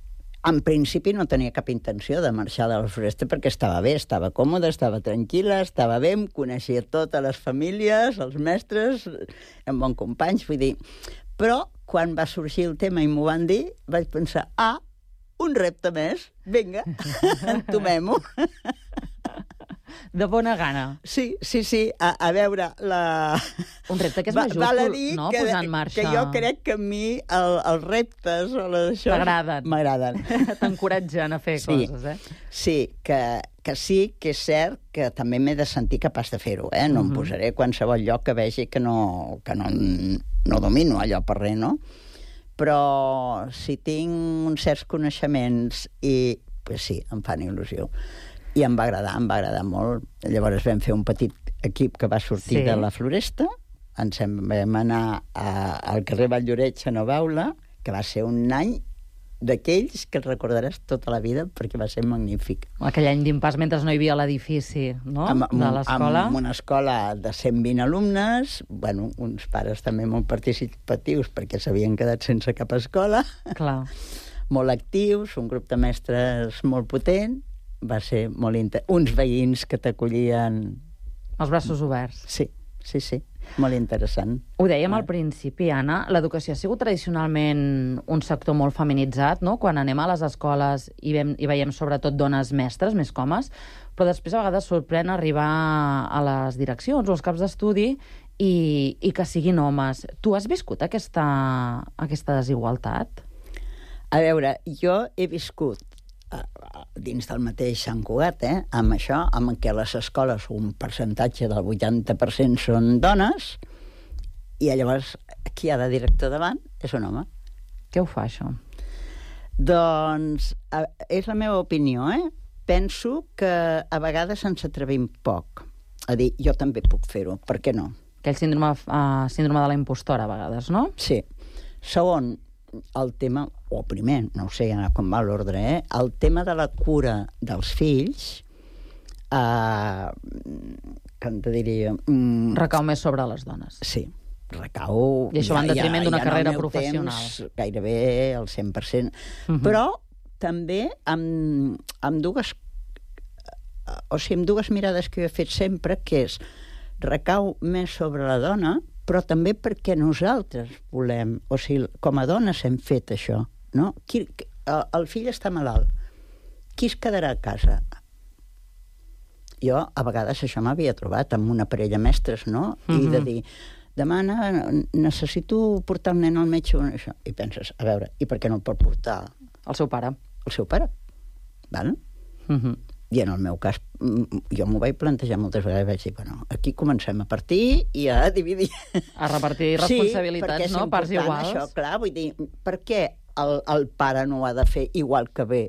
En principi no tenia cap intenció de marxar de la Floresta perquè estava bé, estava còmoda, estava tranquil·la, estava bé, em coneixia totes les famílies, els mestres, amb bons companys, vull dir... Però, quan va sorgir el tema i m'ho van dir, vaig pensar, un repte més, vinga, entomem-ho. De bona gana. Sí. A veure, un repte que és majúscul, no?, posar en marxa. Que jo crec que a mi els reptes o això... M'agraden. T'encoratgen a fer coses, Sí, que sí que és cert que també m'he de sentir capaç de fer-ho, No em posaré a qualsevol lloc que vegi que no domino allò per res, no? Però si tinc uns certs coneixements pues sí, em fan il·lusió. I em va agradar molt. Llavors vam fer un petit equip que va sortir de la Floresta, ens vam anar al carrer Valldoreix a Nova Aula, que va ser un any d'aquells que el recordaràs tota la vida perquè va ser magnífic. Aquell any d'impàs mentre no hi havia l'edifici, no?, de l'escola. Amb una escola de 120 alumnes, bueno, uns pares també molt participatius perquè s'havien quedat sense cap escola. Clar. Molt actius, un grup de mestres molt potent, va ser molt uns veïns que t'acollien... Els braços oberts. Sí, molt interessant. Ho dèiem al principi, Anna, l'educació ha sigut tradicionalment un sector molt feminitzat, no?, quan anem a les escoles i veiem sobretot dones mestres, més que homes, però després a vegades sorprèn arribar a les direccions o als caps d'estudi i que siguin homes. Tu has viscut aquesta desigualtat? A veure, jo he viscut dins del mateix Sant Cugat, amb això, amb què a les escoles un percentatge del 80% són dones, i llavors qui ha de director davant és un home. Què ho fa, això? Doncs és la meva opinió, Penso que a vegades ens atrevim poc a dir, jo també puc fer-ho, per què no? Aquell síndrome de la impostora, a vegades, no? Sí. Segon, el tema, o primer, no sé com va l'ordre, el tema de la cura dels fills, com te diria... Recau més sobre les dones. Sí, recau... I això va en detriment d'una carrera professional. Temps, gairebé el 100%. Però també amb dues mirades que jo he fet sempre, que és recau més sobre la dona, però també perquè nosaltres volem, o sigui, com a dones hem fet això, no? El fill està malalt, qui es quedarà a casa? Jo, a vegades, això m'havia trobat amb una parella mestres, no? I de dir, demà necessito portar el nen al metge, això. I penses, a veure, i per què no el pot portar? El seu pare. El seu pare, val? I en el meu cas, jo m'ho vaig plantejar moltes vegades, vaig dir, bueno, aquí comencem a partir i a dividir. A repartir responsabilitats, no? Parts iguals. Això, clar, vull dir, per què el pare no ho ha de fer igual que bé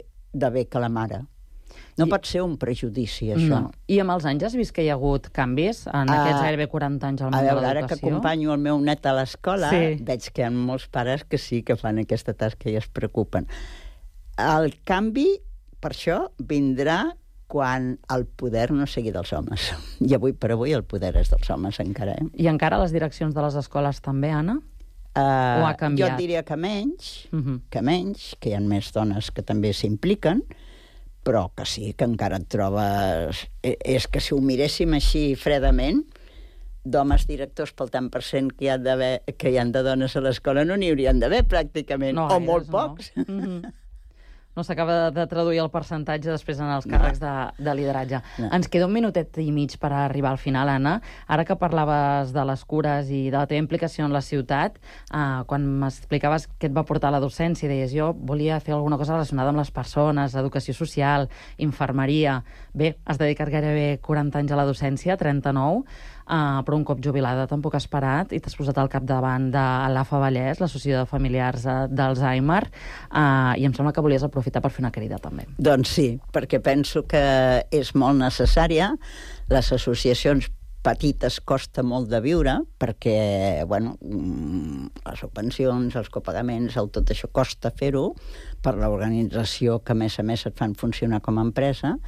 que la mare? No pot ser un prejudici, això. No. I amb els anys has vist que hi ha hagut canvis en aquests gairebé 40 anys al món de l'educació? A veure, ara que acompanyo el meu net a l'escola, veig que hi ha molts pares que sí que fan aquesta tasca i es preocupen. El canvi, per això, vindrà quan el poder no sigui dels homes. I avui per avui el poder és dels homes, encara. I encara a les direccions de les escoles també, Anna? O ha canviat? Jo diria que menys, que hi ha més dones que també s'impliquen, però que sí, que encara et trobes... És que si ho miréssim així fredament, d'homes directors pel tant per cent que hi ha de dones a l'escola no n'hi haurien d'haver, pràcticament, o molt pocs. No s'acaba de traduir el percentatge després en els càrrecs de lideratge. Ens queda un minutet i mig per arribar al final, Anna. Ara que parlaves de les cures i de la teva implicació en la ciutat, quan m'explicaves què et va portar a la docència, deies, jo volia fer alguna cosa relacionada amb les persones, educació social, infermeria... Bé, has dedicat gairebé 40 anys a la docència, 39, però un cop jubilada tampoc has parat i t'has posat al capdavant de l'AFA Vallès, l'Associació de Familiars d'Alzheimer, i em sembla que volies aprofitar per fer una crida també. Doncs sí, perquè penso que és molt necessària. Les associacions petites costa molt de viure perquè, bueno, les subvencions, els copagaments, tot això costa fer-ho per l'organització que a més et fan funcionar com a empresa,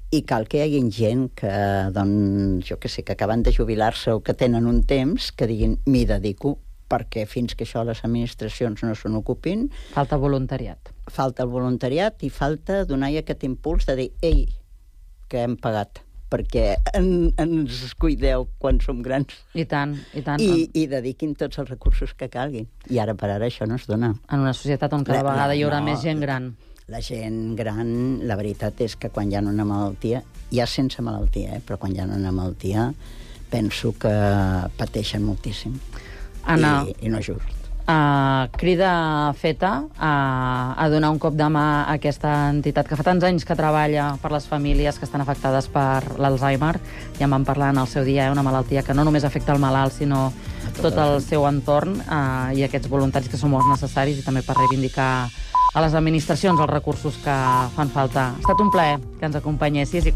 i cal que hi hagi gent que, doncs, jo què sé, que acaben de jubilar-se o que tenen un temps, que diguin, m'hi dedico, perquè fins que això les administracions no se n'ocupin... Falta voluntariat. Falta el voluntariat i falta donar aquest impuls de dir, ei, que hem pagat, perquè ens cuideu quan som grans. I tant, i tant. I dediquin tots els recursos que calguin. I ara per ara això no es dona. En una societat on cada vegada hi haurà més gent gran. La gent gran, la veritat és que quan hi ha una malaltia, ja sense malaltia, però quan hi ha una malaltia, penso que pateixen moltíssim. Anna, I no és just. Crida feta a donar un cop de mà a aquesta entitat que fa tants anys que treballa per les famílies que estan afectades per l'Alzheimer. Ja en vam parlar en el seu dia, una malaltia que no només afecta el malalt, sinó tot el seu entorn, i aquests voluntaris que són molt necessaris, i també per reivindicar a les administracions els recursos que fan falta. Ha estat un plaer que ens acompanyessis i